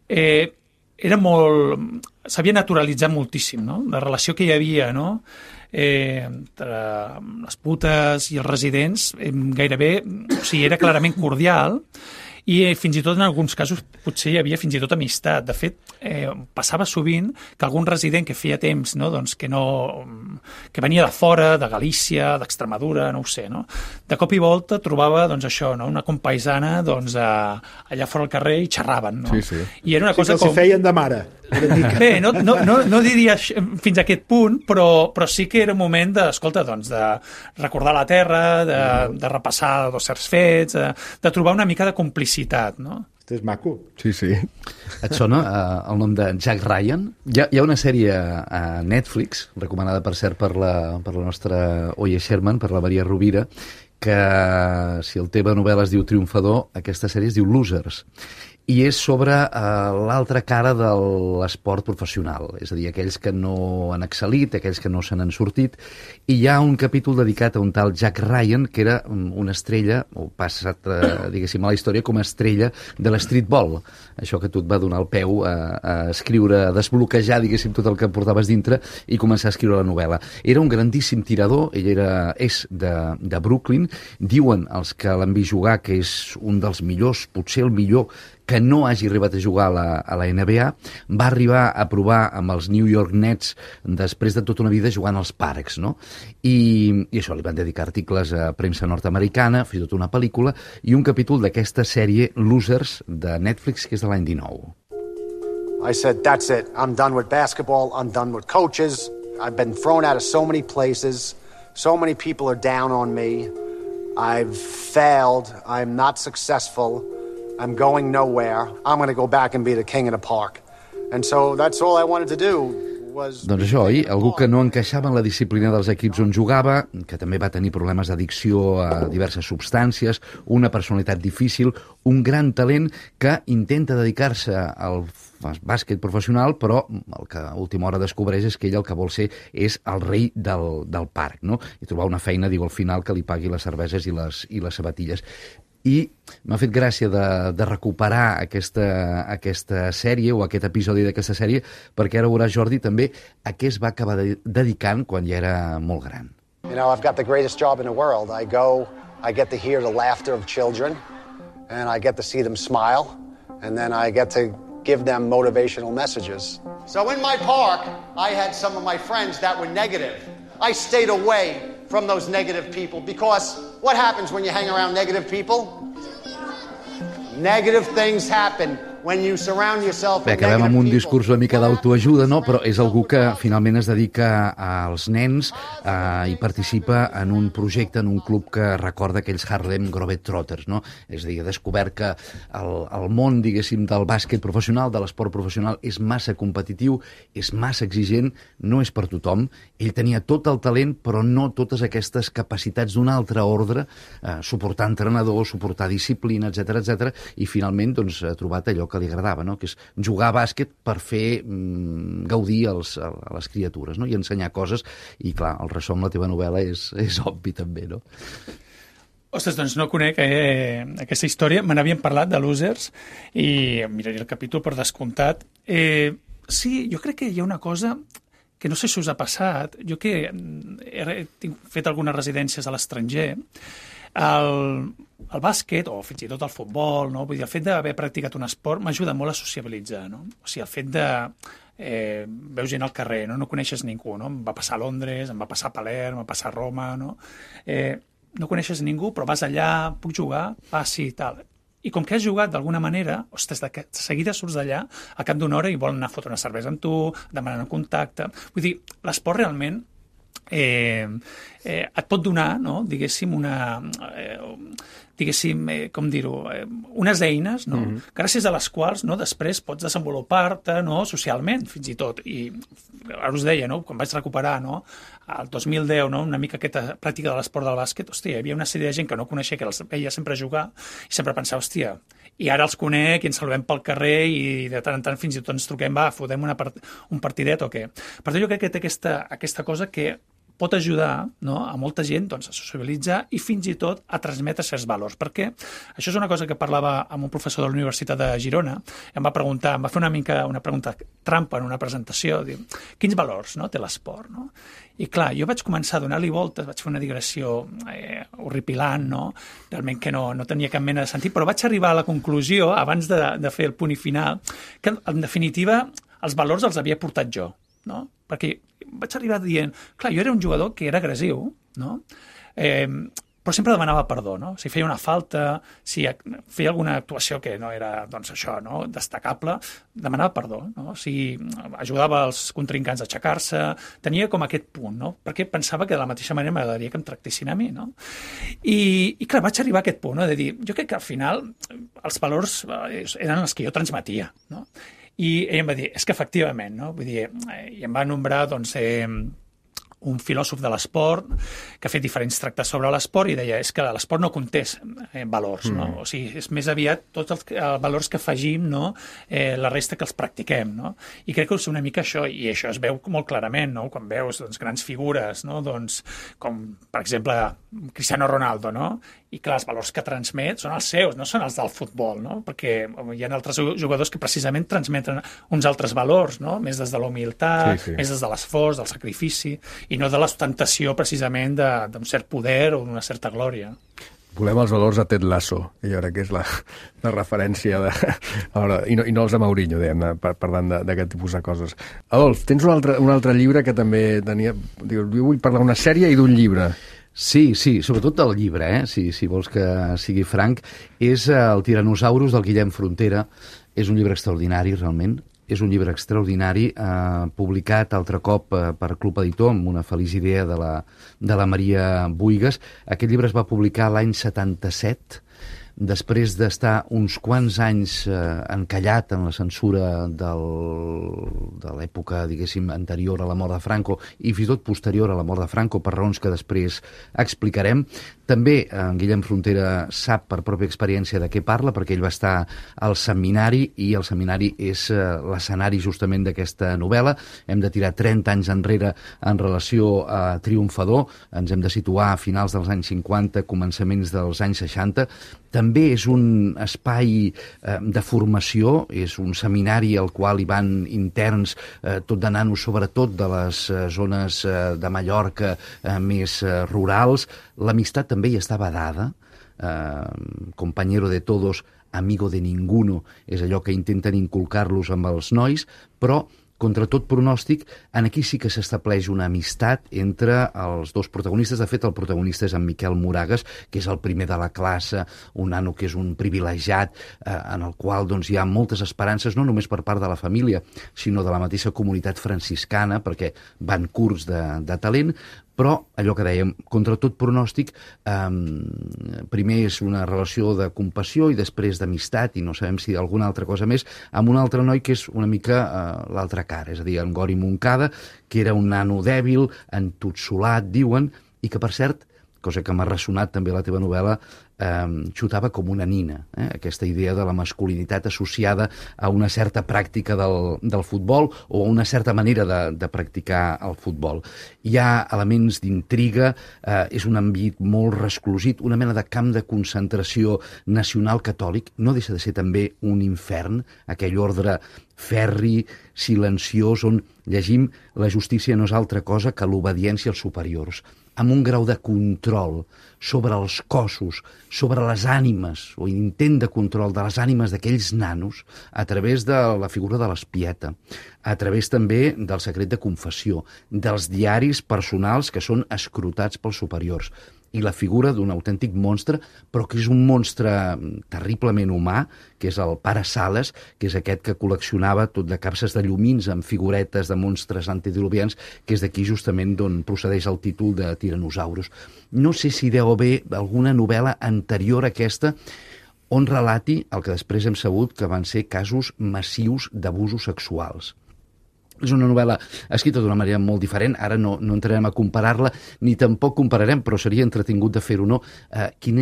era molt... s'havia naturalitzat moltíssim, no? La relació que hi havia, no? Entre les putes i els residents, gairebé, o sigui, era clarament cordial, i fins i tot en alguns casos potser hi havia fins i tot amistat. De fet, passava sovint que algun resident que feia temps, no, doncs que venia de fora, de Galícia, d'Extremadura, no ho sé, no? De cop i volta trobava doncs, això, no? Una compaisana doncs, allà fora al carrer i xerraven. No? Sí, sí. I era una cosa que els feien de mare. Bé, no diria fins a aquest punt, però sí que era un moment de recordar la terra, de repassar certs fets, de trobar una mica de complicitat, no? Este és maco. Sí, sí. Et sona el nom de Jack Ryan? Hi ha una sèrie a Netflix, recomanada, per cert, per la nostra Oye Sherman, per la Maria Rovira, que si el teva novel·la es diu Triomfador, aquesta sèrie es diu Losers. I és sobre l'altra cara de l'esport professional, és a dir, aquells que no han excel·lit, aquells que no se n'han sortit, i hi ha un capítol dedicat a un tal Jack Ryan, que era una estrella, o passat, diguéssim, a la història com a estrella de l'streetball, això que tu et va donar el peu a escriure, a desbloquejar, diguéssim, tot el que portaves dintre i començar a escriure la novel·la. Era un grandíssim tirador, ell és de Brooklyn, diuen els que l'han vist jugar que és un dels millors, potser el millor, que no hagi arribat a jugar a la NBA, va arribar a provar amb els New York Nets després de tota una vida jugant als Parcs, no? I això, li van dedicar articles a premsa nord-americana, fins i tot una pel·lícula, i un capítol d'aquesta sèrie Losers de Netflix, que és de l'any 19. I said, that's it. I'm done with basketball. I'm done with coaches. I've been thrown out of so many places. So many people are down on me. I've failed. I'm not successful. I'm going nowhere. I'm going to go back and be the king of the park. And so that's all I wanted to do. Doncs això, oi? Algú que no encaixava en la disciplina dels equips on jugava, que també va tenir problemes d'addicció a diverses substàncies, una personalitat difícil, un gran talent que intenta dedicar-se al bàsquet professional, però el que a última hora descobreix és que ell el que vol ser és el rei del parc, no? I trobar una feina, diu, al final, que li pagui les cerveses i les sabatilles. I m'ha fet gràcia de recuperar aquesta sèrie o aquest episodi d'aquesta sèrie, perquè ara veuràs, Jordi, també a què es va acabar dedicant quan ja era molt gran. You know, I've got the greatest job in the world. I go, I get to hear the laughter of children, and I get to see them smile, and then I get to give them motivational messages. So in my park, I had some of my friends that were negative. I stayed away from those negative people because what happens when you hang around negative people? Negative things happen. When you surround yourself Bé, acabem amb un discurs una mica d'autoajuda, no? Però és algú que finalment es dedica als nens i participa en un projecte, en un club que recorda aquells Harlem Globetrotters, no? És a dir, ha descobert que el món, diguéssim, del bàsquet professional, de l'esport professional, és massa competitiu, és massa exigent, no és per tothom. Ell tenia tot el talent, però no totes aquestes capacitats d'un altre ordre, suportar entrenadors, suportar disciplina, etc, i finalment doncs, ha trobat allò que li agradava, no? Que és jugar a bàsquet per fer gaudir a les criatures, no? I ensenyar coses, i clar, el ressò amb la teva novel·la és obvi també, no? Ostres, doncs no conec aquesta història, me n'havien parlat de Losers i miraré el capítol per descomptat. Sí, jo crec que hi ha una cosa que no sé si us ha passat, jo que he fet algunes residències a l'estranger, El bàsquet, o fins i tot el futbol, no? Vull dir, el fet d'haver practicat un esport m'ajuda molt a sociabilitzar, no? O sigui, el fet de... veus gent al carrer, no coneixes ningú, no? Em va passar a Londres, em va passar a Palerm, em va passar a Roma, no? No coneixes ningú, però vas allà, puc jugar, passi i tal. I com que has jugat d'alguna manera, ostres, de seguida surts d'allà, al cap d'una hora i volen anar a fotre una cervesa amb tu, demanen contacte... Vull dir, l'esport realment et pot donar, no? Diguéssim, com dir-ho, unes eines, no? Gràcies a les quals, no, després pots desenvolupar-te, no, socialment, fins i tot. I ara us deia, no, quan vaig recuperar, no, el 2010, no, una mica aquesta pràctica de l'esport del bàsquet, hòstia, hi havia una sèrie de gent que no coneixia, que els veia sempre jugar, i sempre pensava, hòstia, i ara els conec i ens saludem pel carrer i de tant en tant fins i tot ens truquem, va, fotem un partidet o què. Per tant, jo crec que té aquesta cosa que pot ajudar, no, a molta gent, doncs, a socialitzar i fins i tot a transmetre certs valors. Perquè això és una cosa que parlava amb un professor de la Universitat de Girona, em va fer una pregunta trampa en una presentació, diu, quins valors, no, té l'esport, no? I clar, jo vaig començar a donar-li voltes, vaig fer una digressió horripilant, no? Realment que no tenia cap mena de sentit, però vaig arribar a la conclusió, abans de fer el punt i final, que en definitiva els valors els havia portat jo, no? Perquè vaig arribar dient, clar, jo era un jugador que era agressiu, no? Però sempre demanava perdó, no? Si feia una falta, si feia alguna actuació que no era, doncs, això, no, destacable, demanava perdó, no? Si ajudava els contrincants a aixecar-se, tenia com aquest punt, no? Perquè pensava que de la mateixa manera m'agradaria que em tractessin a mi, no? I clar, vaig arribar a aquest punt, no? De dir, jo crec que al final els valors eren els que jo transmetia, no? I ell em va dir, és que efectivament, no? Vull dir, i em va nombrar, doncs, un filòsof de l'esport que ha fet diferents tractats sobre l'esport i deia, és que l'esport no conté valors, no? O sigui, és més aviat tots els valors que afegim, no? La resta que els practiquem, no? I crec que és una mica això, i això es veu molt clarament, no? Quan veus, doncs, grans figures, no? Doncs, com, per exemple, Cristiano Ronaldo, no? I clar, els valors que transmet són els seus, no són els del futbol, no? Perquè hi ha altres jugadors que precisament transmeten uns altres valors, no? Més des de la humilitat, més des de l'esforç, del sacrifici, i no de l'ostentació precisament d'un cert poder o d'una certa glòria. Volem els valors a Ted Lasso, i ara que és la referència i no els de Mourinho, diguem, parlant d'aquest tipus de coses. Adolf, tens un altre llibre que també tenia... Jo vull parlar d'una sèrie i d'un llibre. Sí, sobretot del llibre, si vols que sigui franc, és el Tiranosaurus del Guillem Frontera. És un llibre extraordinari, realment. És un llibre extraordinari, publicat altre cop per Club Editor, amb una feliç idea de la Maria Buigas. Aquest llibre es va publicar l'any 77, després d'estar uns quants anys encallat en la censura de l'època, diguéssim, anterior a la mort de Franco i fins i tot posterior a la mort de Franco, per raons que després explicarem. També en Guillem Frontera sap per pròpia experiència de què parla, perquè ell va estar al seminari, i el seminari és l'escenari justament d'aquesta novel·la. Hem de tirar 30 anys enrere en relació a Triomfador, ens hem de situar a finals dels anys 50, començaments dels anys 60. També és un espai de formació, és un seminari al qual hi van interns, tot de nanos, sobretot de les zones de Mallorca més rurals. L'amistat també hi estava dada, compañero de todos, amigo de ninguno, és allò que intenten inculcar-los amb els nois, però contra tot pronòstic, aquí sí que s'estableix una amistat entre els dos protagonistes. De fet, el protagonista és en Miquel Moragues, que és el primer de la classe, un nano que és un privilegiat, en el qual doncs, hi ha moltes esperances, no només per part de la família, sinó de la mateixa comunitat franciscana, perquè van curts de talent, però allò que dèiem, contra tot pronòstic, primer és una relació de compassió i després d'amistat, i no sabem si alguna altra cosa més, amb un altre noi que és una mica l'altra cara, és a dir, en Gori Moncada, que era un nano dèbil, entotsolat, diuen, i que, per cert, cosa que m'ha ressonat també a la teva novel·la, xutava com una nina, aquesta idea de la masculinitat associada a una certa pràctica del futbol o a una certa manera de practicar el futbol. Hi ha elements d'intriga, és un ambient molt resclosit, una mena de camp de concentració nacional catòlic, no deixa de ser també un infern, aquell ordre ferri, silenciós, on llegim la justícia no és altra cosa que l'obediència als superiors. amb un grau de control sobre els cossos, sobre les ànimes, o intent de control de les ànimes d'aquells nanos, a través de la figura de l'espieta, a través també del secret de confessió, dels diaris personals que són escrutats pels superiors, i la figura d'un autèntic monstre, però que és un monstre terriblement humà, que és el pare Sales, que és aquest que col·leccionava tot de capses de llumins amb figuretes de monstres antediluvians, que és d'aquí justament d'on procedeix el títol de Tiranosaurus. No sé si deu haver alguna novel·la anterior a aquesta on relati el que després hem sabut que van ser casos massius d'abusos sexuals. És una novel·la escrita d'una manera molt diferent, ara no entrarem a comparar-la, ni tampoc compararem, però seria entretingut de fer-ho, no? Quin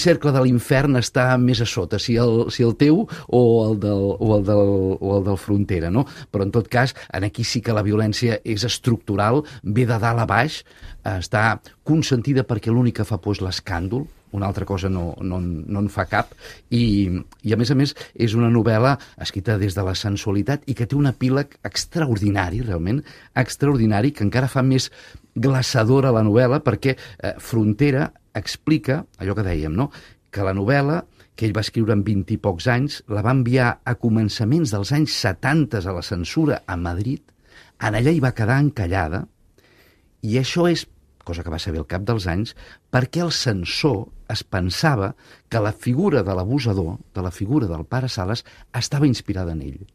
cercle de l'infern està més a sota, si el teu o el del Frontera, no? Però en tot cas, aquí sí que la violència és estructural, ve de dalt a baix, està consentida perquè l'únic que fa por és l'escàndol, una altra cosa no en fa cap, i a més és una novel·la escrita des de la sensualitat i que té un epíleg extraordinari, realment extraordinari, que encara fa més glaçadora la novel·la, perquè Frontera explica allò que dèiem, no? Que la novel·la que ell va escriure en 20 i pocs anys, la va enviar a començaments dels anys 70 a la censura a Madrid, en allà hi va quedar encallada, i això és, cosa que va saber al cap dels anys, perquè el censor es pensava que la figura de l'abusador, de la figura del pare Sales, estava inspirada en ell.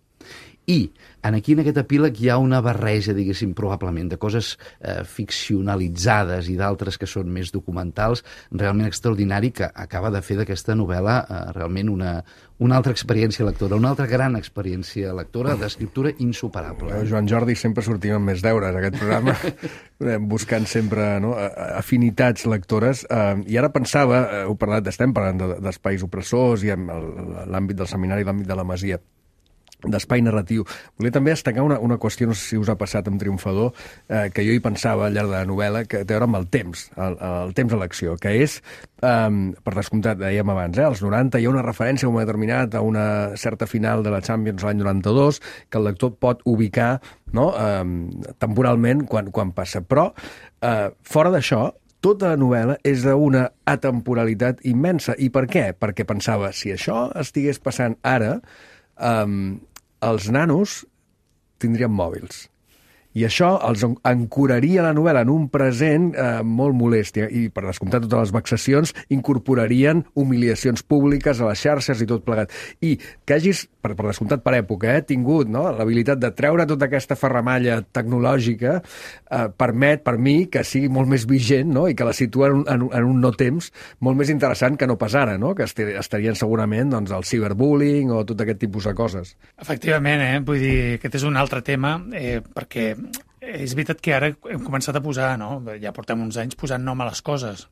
I aquí en aquest epíleg hi ha una barreja, diguéssim, probablement, de coses ficcionalitzades i d'altres que són més documentals, realment extraordinari, que acaba de fer d'aquesta novel·la realment una altra experiència lectora, una altra gran experiència lectora d'escriptura insuperable. Joan Jordi, sempre sortim amb més deures, aquest programa, buscant sempre afinitats lectores. I ara pensava, estem parlant d'espais opressors i amb l'àmbit del seminari, l'àmbit de la Masia, d'espai narratiu. Volia també destacar una qüestió, no sé si us ha passat amb Triomfador, que jo hi pensava al llarg de la novel·la, que té a veure amb el temps, el temps a l'acció, que és, per descomptat, dèiem abans, als 90 hi ha una referència a un moment determinat a una certa final de la Champions l'any 92, que el lector pot ubicar, no?, temporalment quan passa. Però, fora d'això, tota la novel·la és d'una atemporalitat immensa. I per què? Perquè pensava, si això estigués passant ara, els nanos tindrien mòbils. I això els ancoraria la novel·la en un present molt molest. I, per descomptar totes les vexacions, incorporarien humiliacions públiques a les xarxes i tot plegat. I que hagis, per descomptat per època, tingut l'habilitat de treure tota aquesta ferramalla tecnològica permet, per mi, que sigui molt més vigent, no? I que la situa en un no temps molt més interessant que no pas ara, no? Que estarien segurament el ciberbullying o tot aquest tipus de coses. Efectivament, vull dir, aquest és un altre tema, perquè és veritat que ara hem començat a posar, no? Ja portem uns anys posant nom a les coses,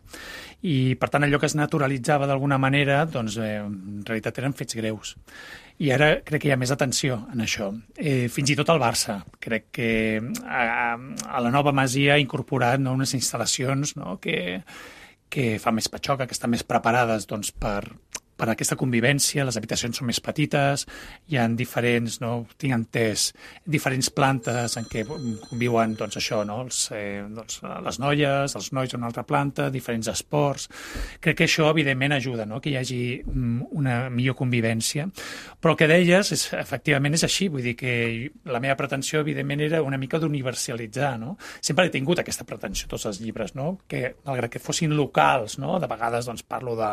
i per tant allò que es naturalitzava d'alguna manera, doncs en realitat eren fets greus. I ara crec que hi ha més atenció en això. Fins i tot al Barça. Crec que a la nova Masia ha incorporat unes instal·lacions que fa més patxoca, que estan més preparades doncs, per aquesta convivència. Les habitacions són més petites, hi ha diferents, tinc entès, diferents plantes en què conviuen les noies, els nois en una altra planta, diferents esports. Crec que això, evidentment, ajuda, que hi hagi una millor convivència. Però el que deies, efectivament, és així. Vull dir que la meva pretensió, evidentment, era una mica d'universalitzar. Sempre he tingut aquesta pretensió, tots els llibres, que, malgrat que fossin locals, de vegades parlo de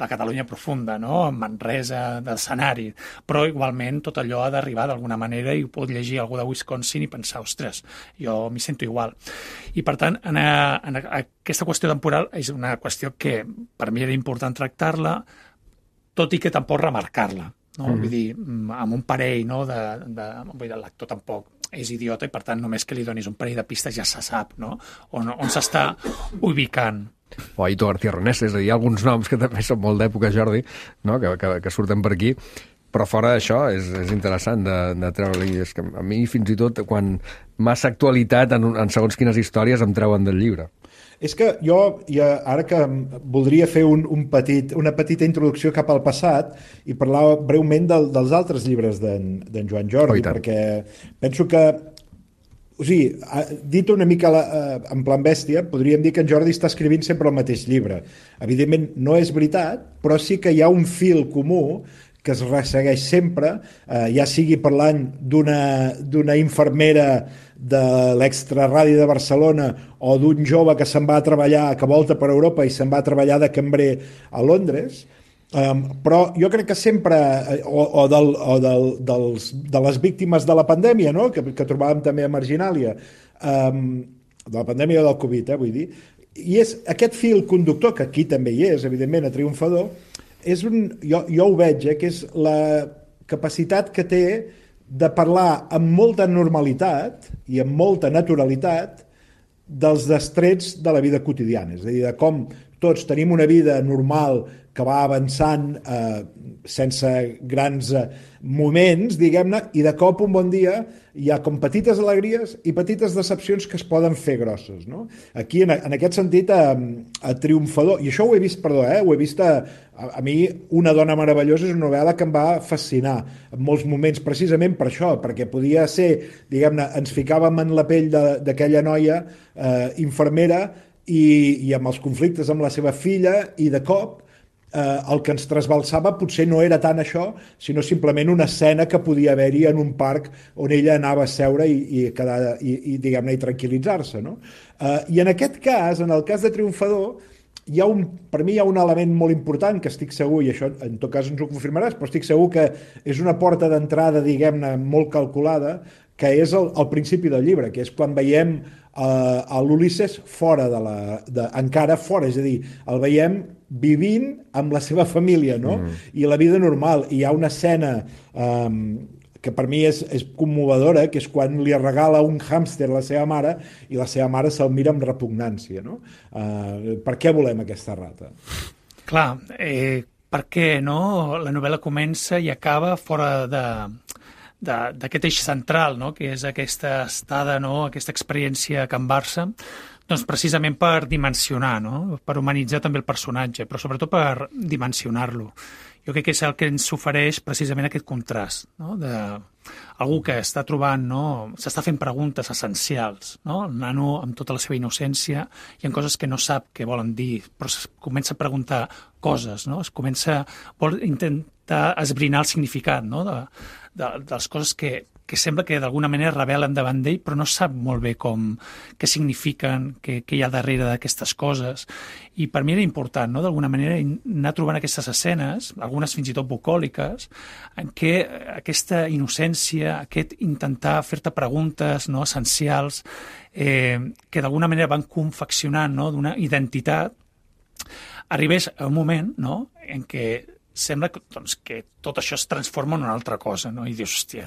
la Catalunya profunda, en Manresa, d'escenari, però igualment tot allò ha d'arribar d'alguna manera i ho pot llegir algú de Wisconsin i pensar, ostres, jo m'hi sento igual. I per tant, en aquesta qüestió temporal és una qüestió que per mi era important tractar-la, tot i que tampoc remarcar-la. Vull dir, amb un parell, el lector tampoc és idiota i per tant només que li donis un parell de pistes ja se sap, on s'està ubicant. O Aito García Ronés, és a dir, hi ha alguns noms que també són molt d'època, Jordi, que surten per aquí, però fora d'això és interessant de treure-li. És que a mi, fins i tot, quan massa actualitat en segons quines històries em treuen del llibre. És que jo, ara que voldria fer una petita introducció cap al passat i parlar breument dels altres llibres d'en Joan Jordi, perquè penso que O sigui, dit una mica en plan bèstia, podríem dir que en Jordi està escrivint sempre el mateix llibre. Evidentment no és veritat, però sí que hi ha un fil comú que es ressegueix sempre, ja sigui parlant d'una infermera de l'Extraradi de Barcelona o d'un jove que se'n va a treballar, que volta per Europa i se'n va a treballar de cambrer a Londres, però jo crec que sempre, de les víctimes de la pandèmia, no? que trobàvem també a Marginàlia, de la pandèmia del Covid, vull dir, i és aquest fil conductor, que aquí també hi és, evidentment, a Triomfador, jo ho veig, que és la capacitat que té de parlar amb molta normalitat i amb molta naturalitat dels destrets de la vida quotidiana, és a dir, de com tots tenim una vida normal que va avançant sense grans moments, diguem-ne, i de cop un bon dia hi ha com petites alegries i petites decepcions que es poden fer grosses, no? Aquí, en aquest sentit, a Triomfador, i això ho he vist, ho he vist a mi, Una dona meravellosa és una novel·la que em va fascinar en molts moments, precisament per això, perquè podia ser, diguem-ne, ens ficàvem en la pell d'aquella noia infermera i amb els conflictes amb la seva filla, i de cop el que ens trasbalsava potser no era tant això, sinó simplement una escena que podia haver-hi en un parc on ella anava a seure i diguem-ne, i tranquil·litzar-se, no? I en aquest cas, en el cas de Triomfador, per mi hi ha un element molt important que estic segur, i això en tot cas ens ho confirmaràs, però estic segur que és una porta d'entrada, diguem-ne, molt calculada, que és el principi del llibre, que és quan veiem a l'Ulisses fora encara fora, és a dir, el veiem vivint amb la seva família, no? I la vida normal. I hi ha una escena que per mi és commovedora, que és quan li regala un hàmster a la seva mare i la seva mare se'l mira amb repugnància, no? Per què volem aquesta rata? Clar, perquè no? La novel·la comença i acaba fora d'aquest eix central, no? Que és aquesta estada, no? Aquesta experiència a Can Barça, doncs precisament per dimensionar, no? Per humanitzar també el personatge, però sobretot per dimensionar-lo. Jo crec que és el que ens ofereix precisament aquest contrast, no? Algú que està trobant, no? S'està fent preguntes essencials, no? El nano amb tota la seva innocència, hi ha coses que no sap què volen dir, però es comença a preguntar coses, no? Vol intentar esbrinar el significat, no? De les coses que sembla que d'alguna manera revelen davant d'ell, però no sap molt bé què signifiquen, què hi ha darrere d'aquestes coses. I per mi era important, no? D'alguna manera, anar trobant aquestes escenes, algunes fins i tot bucòliques, en què aquesta innocència, aquest intentar fer-te preguntes, no? Essencials, que d'alguna manera van confeccionant, no? D'una identitat, arribés a un moment, no? En què sembla que tot això es transforma en una altra cosa, no? I dius, hòstia,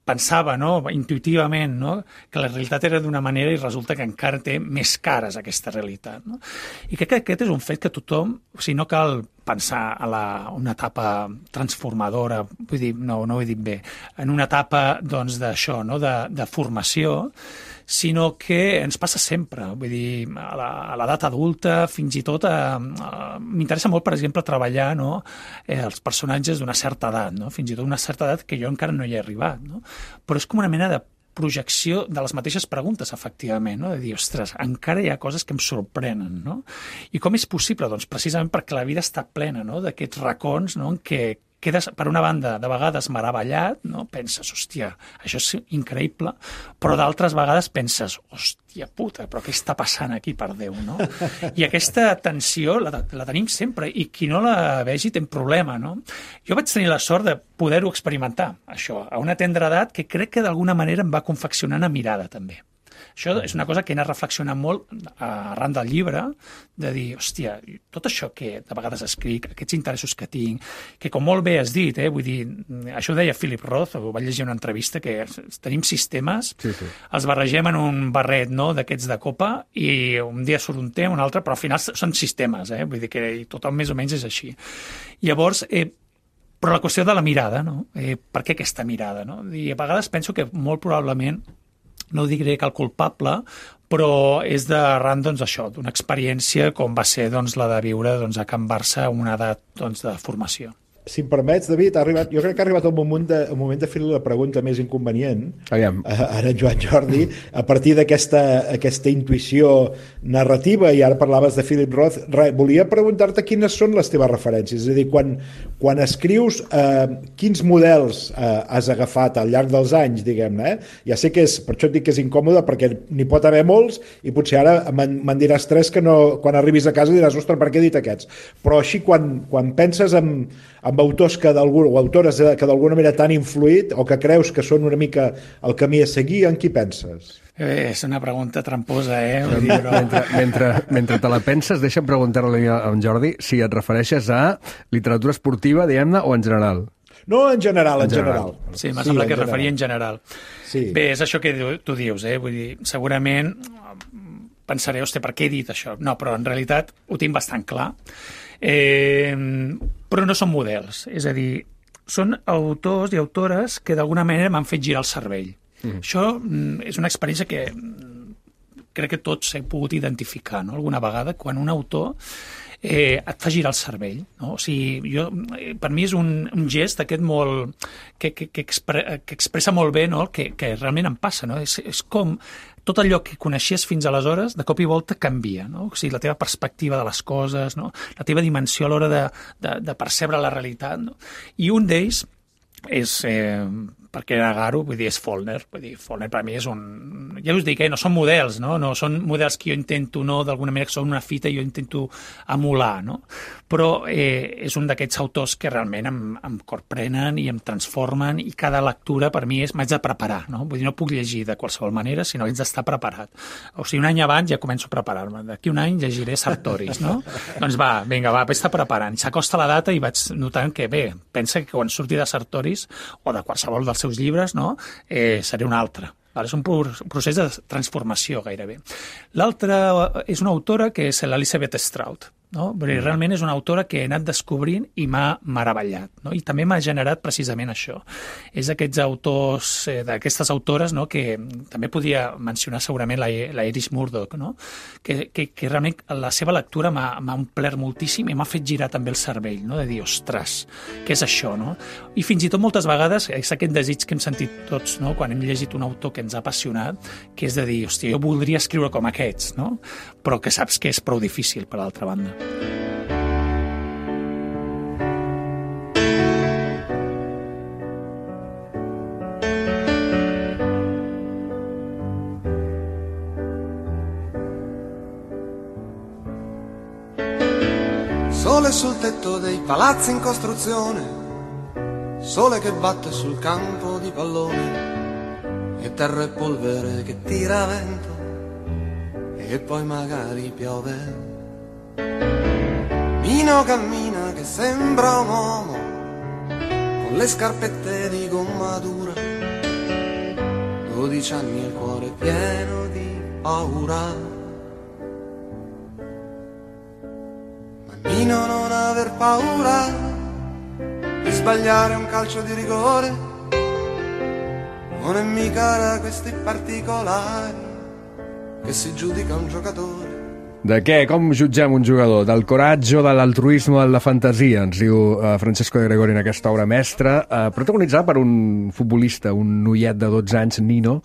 pensava, no? Intuïtivament, no? Que la realitat era d'una manera i resulta que encara té més cares aquesta realitat, no? I crec que aquest és un fet que tothom, o sigui, no cal pensar a una etapa transformadora, vull dir, no ho he dit bé, en una etapa, doncs, d'això, no? De formació, sinó que ens passa sempre, vull dir, a l'edat adulta, fins i tot m'interessa molt, per exemple, treballar, no? Els personatges d'una certa edat, no? Fins i tot una certa edat que jo encara no hi he arribat, no? Però és com una mena de projecció de les mateixes preguntes, efectivament, no? De dir, ostres, encara hi ha coses que em sorprenen, no? I com és possible? Doncs precisament perquè la vida està plena, no? D'aquests racons, no? En què quedes, per una banda, de vegades meravellat, no? Penses, hòstia, això és increïble, però d'altres vegades penses, hòstia puta, però què està passant aquí, per Déu, no? I aquesta tensió la tenim sempre, i qui no la vegi té un problema, no? Jo vaig tenir la sort de poder-ho experimentar, això, a una tendra edat que crec que d'alguna manera em va confeccionar una mirada, també. Això és una cosa que he anat reflexionant molt arran del llibre, de dir, hòstia, tot això que de vegades escric, aquests interessos que tinc, que com molt bé has dit, vull dir, això ho deia Philip Roth, ho vaig llegir en una entrevista, que tenim sistemes, sí. Els barregem en un barret, no?, d'aquests de copa, i un dia surt un té, un altre, però al final són sistemes, vull dir que tothom més o menys és així. Llavors, però la qüestió de la mirada, no? Per què aquesta mirada, no? I a vegades penso que molt probablement, no diré que el culpable, però és d'arran, doncs, això, d'una experiència com va ser, doncs, la de viure, doncs, a Can Barça a una edat, doncs, de formació. si em permets, David, jo crec que ha arribat el moment de fer la pregunta més inconvenient. Aviam. Ara en Joan Jordi, a partir d'aquesta intuïció narrativa, i ara parlaves de Philip Roth, volia preguntar-te quines són les teves referències. És a dir, quan escrius, quins models has agafat al llarg dels anys, diguem-ne, Ja sé que per això et dic que és incòmode, perquè n'hi pot haver molts, i potser ara me'n diràs tres que no, quan arribis a casa diràs, ostres, per què he dit aquests? Però així, quan penses en autors o autores que d'alguna manera t'han influït o que creus que són una mica el camí a seguir, en qui penses? És una pregunta tramposa, Vull dir, mentre te la penses, deixa'm preguntar-li a en Jordi si et refereixes a literatura esportiva, diguem-ne, o en general. No, en general. Sí, m'ha semblat que es referia en general. Sí. Bé, és això que tu dius, Vull dir, segurament pensaré, hòstia, per què he dit això? No, però en realitat ho tinc bastant clar. Però no són models, és a dir, són autors i autores que d'alguna manera m'han fet girar el cervell. Això és una experiència que crec que tots hem pogut identificar, no? Alguna vegada, quan un autor et fa girar el cervell, no? O sigui, per mi és un gest aquest molt que expressa molt bé, no? que realment em passa, no? És com tot allò que coneixies fins aleshores, de cop i volta canvia, no? O sigui, la teva perspectiva de les coses, no? La teva dimensió a l'hora de percebre la realitat, no? I un d'ells és, per què negar-ho, vull dir, és Faulkner. Vull dir, Faulkner per mi és un... Ja us dic, no són models, no? No són models que jo intento, no, d'alguna manera que són una fita i jo intento emular, no? Però és un d'aquests autors que realment em corprenen i em transformen, i cada lectura per mi m'haig de preparar, no? Vull dir, no puc llegir de qualsevol manera, sinó haig d'estar preparat. O sigui, un any abans ja començo a preparar-me. D'aquí un any llegiré Sartoris, no? Doncs vinga, vaig estar preparant. S'acosta la data i vaig notant que, bé, pensa que quan surti de Sartoris o de qualsevol dels seus llibres, no? Seré un altre. És un procés de transformació, gairebé. L'altra és una autora que és l'Elizabeth Strout, no? Perquè realment és una autora que he anat descobrint i m'ha meravellat, no? I també m'ha generat precisament això. És d'aquests autors, d'aquestes autores, no? Que també podia mencionar segurament la Iris Murdoch, no? Que realment la seva lectura m'ha omplert moltíssim i m'ha fet girar també el cervell, no? De dir, ostres, què és això, no? I fins i tot moltes vegades és aquest desig que hem sentit tots, no? Quan hem llegit un autor que ens ha apassionat, que és de dir, hòstia, jo voldria escriure com aquests, no? Però que saps que és prou difícil, per l'altra banda. Sole sul tetto dei palazzi in costruzione, sole che batte sul campo di pallone, e terra e polvere che tira vento, e poi magari piove. Mino cammina che sembra un uomo, con le scarpette di gomma dura, 12 anni e il cuore pieno di paura. Mino, non aver paura di sbagliare un calcio di rigore, non è mica da questi particolari che si giudica un giocatore. De què? Com jutgem un jugador? Del coratge, de l'altruisme, de la fantasia, ens diu Francesco de Gregori en aquesta obra mestra, protagonitzada per un futbolista, un noiet de 12 anys, Nino,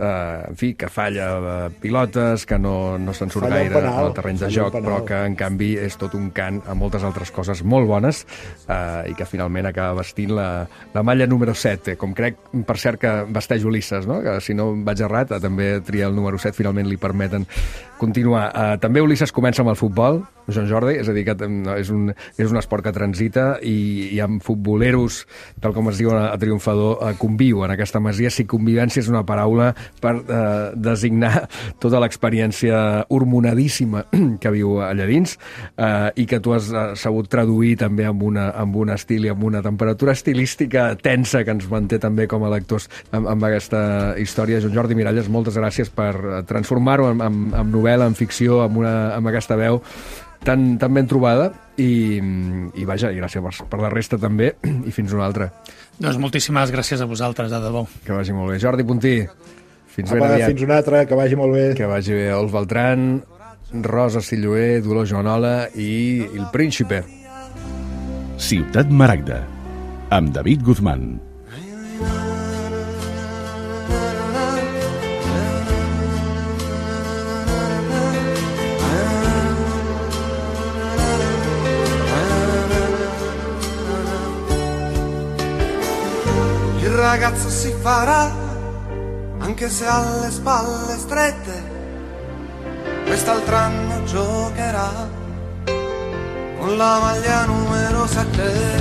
en fi, que falla pilotes, que no se'n surt gaire al terreny de joc, però que en canvi és tot un cant a moltes altres coses molt bones, i que finalment acaba vestint la malla número 7, com crec, per cert, que vesteix Ulisses, no? Que si no vaig errat, també tria el número 7, finalment li permeten continuar. També Ulisses comença amb el futbol, Joan Jordi, és a dir, que és un esport que transita i amb futboleros, tal com es diu a Triomfador, conviu en aquesta masia. Si convivència és una paraula per designar tota l'experiència hormonadíssima que viu allà dins, i que tu has sabut traduir també amb un estil i amb una temperatura estilística tensa que ens manté també com a lectors amb aquesta història. Joan Jordi Miralles, moltes gràcies per transformar-ho en novel·la, en ficció, amb aquesta veu tan ben trobada, i vaja, i gràcies per la resta també, i fins una altra. Doncs moltíssimes gràcies a vosaltres, de debò. Que vagi molt bé. Jordi Puntí, fins ben aviat. Fins una altra, que vagi molt bé. Que vagi bé. Ols Beltrán, Rosa Silloé, Dolors Joanola i Il Príncipe. Ciutat Maragda, amb David Guzmán. Il ragazzo si farà, anche se ha le spalle strette, quest'altro giocherà con la maglia numero 7.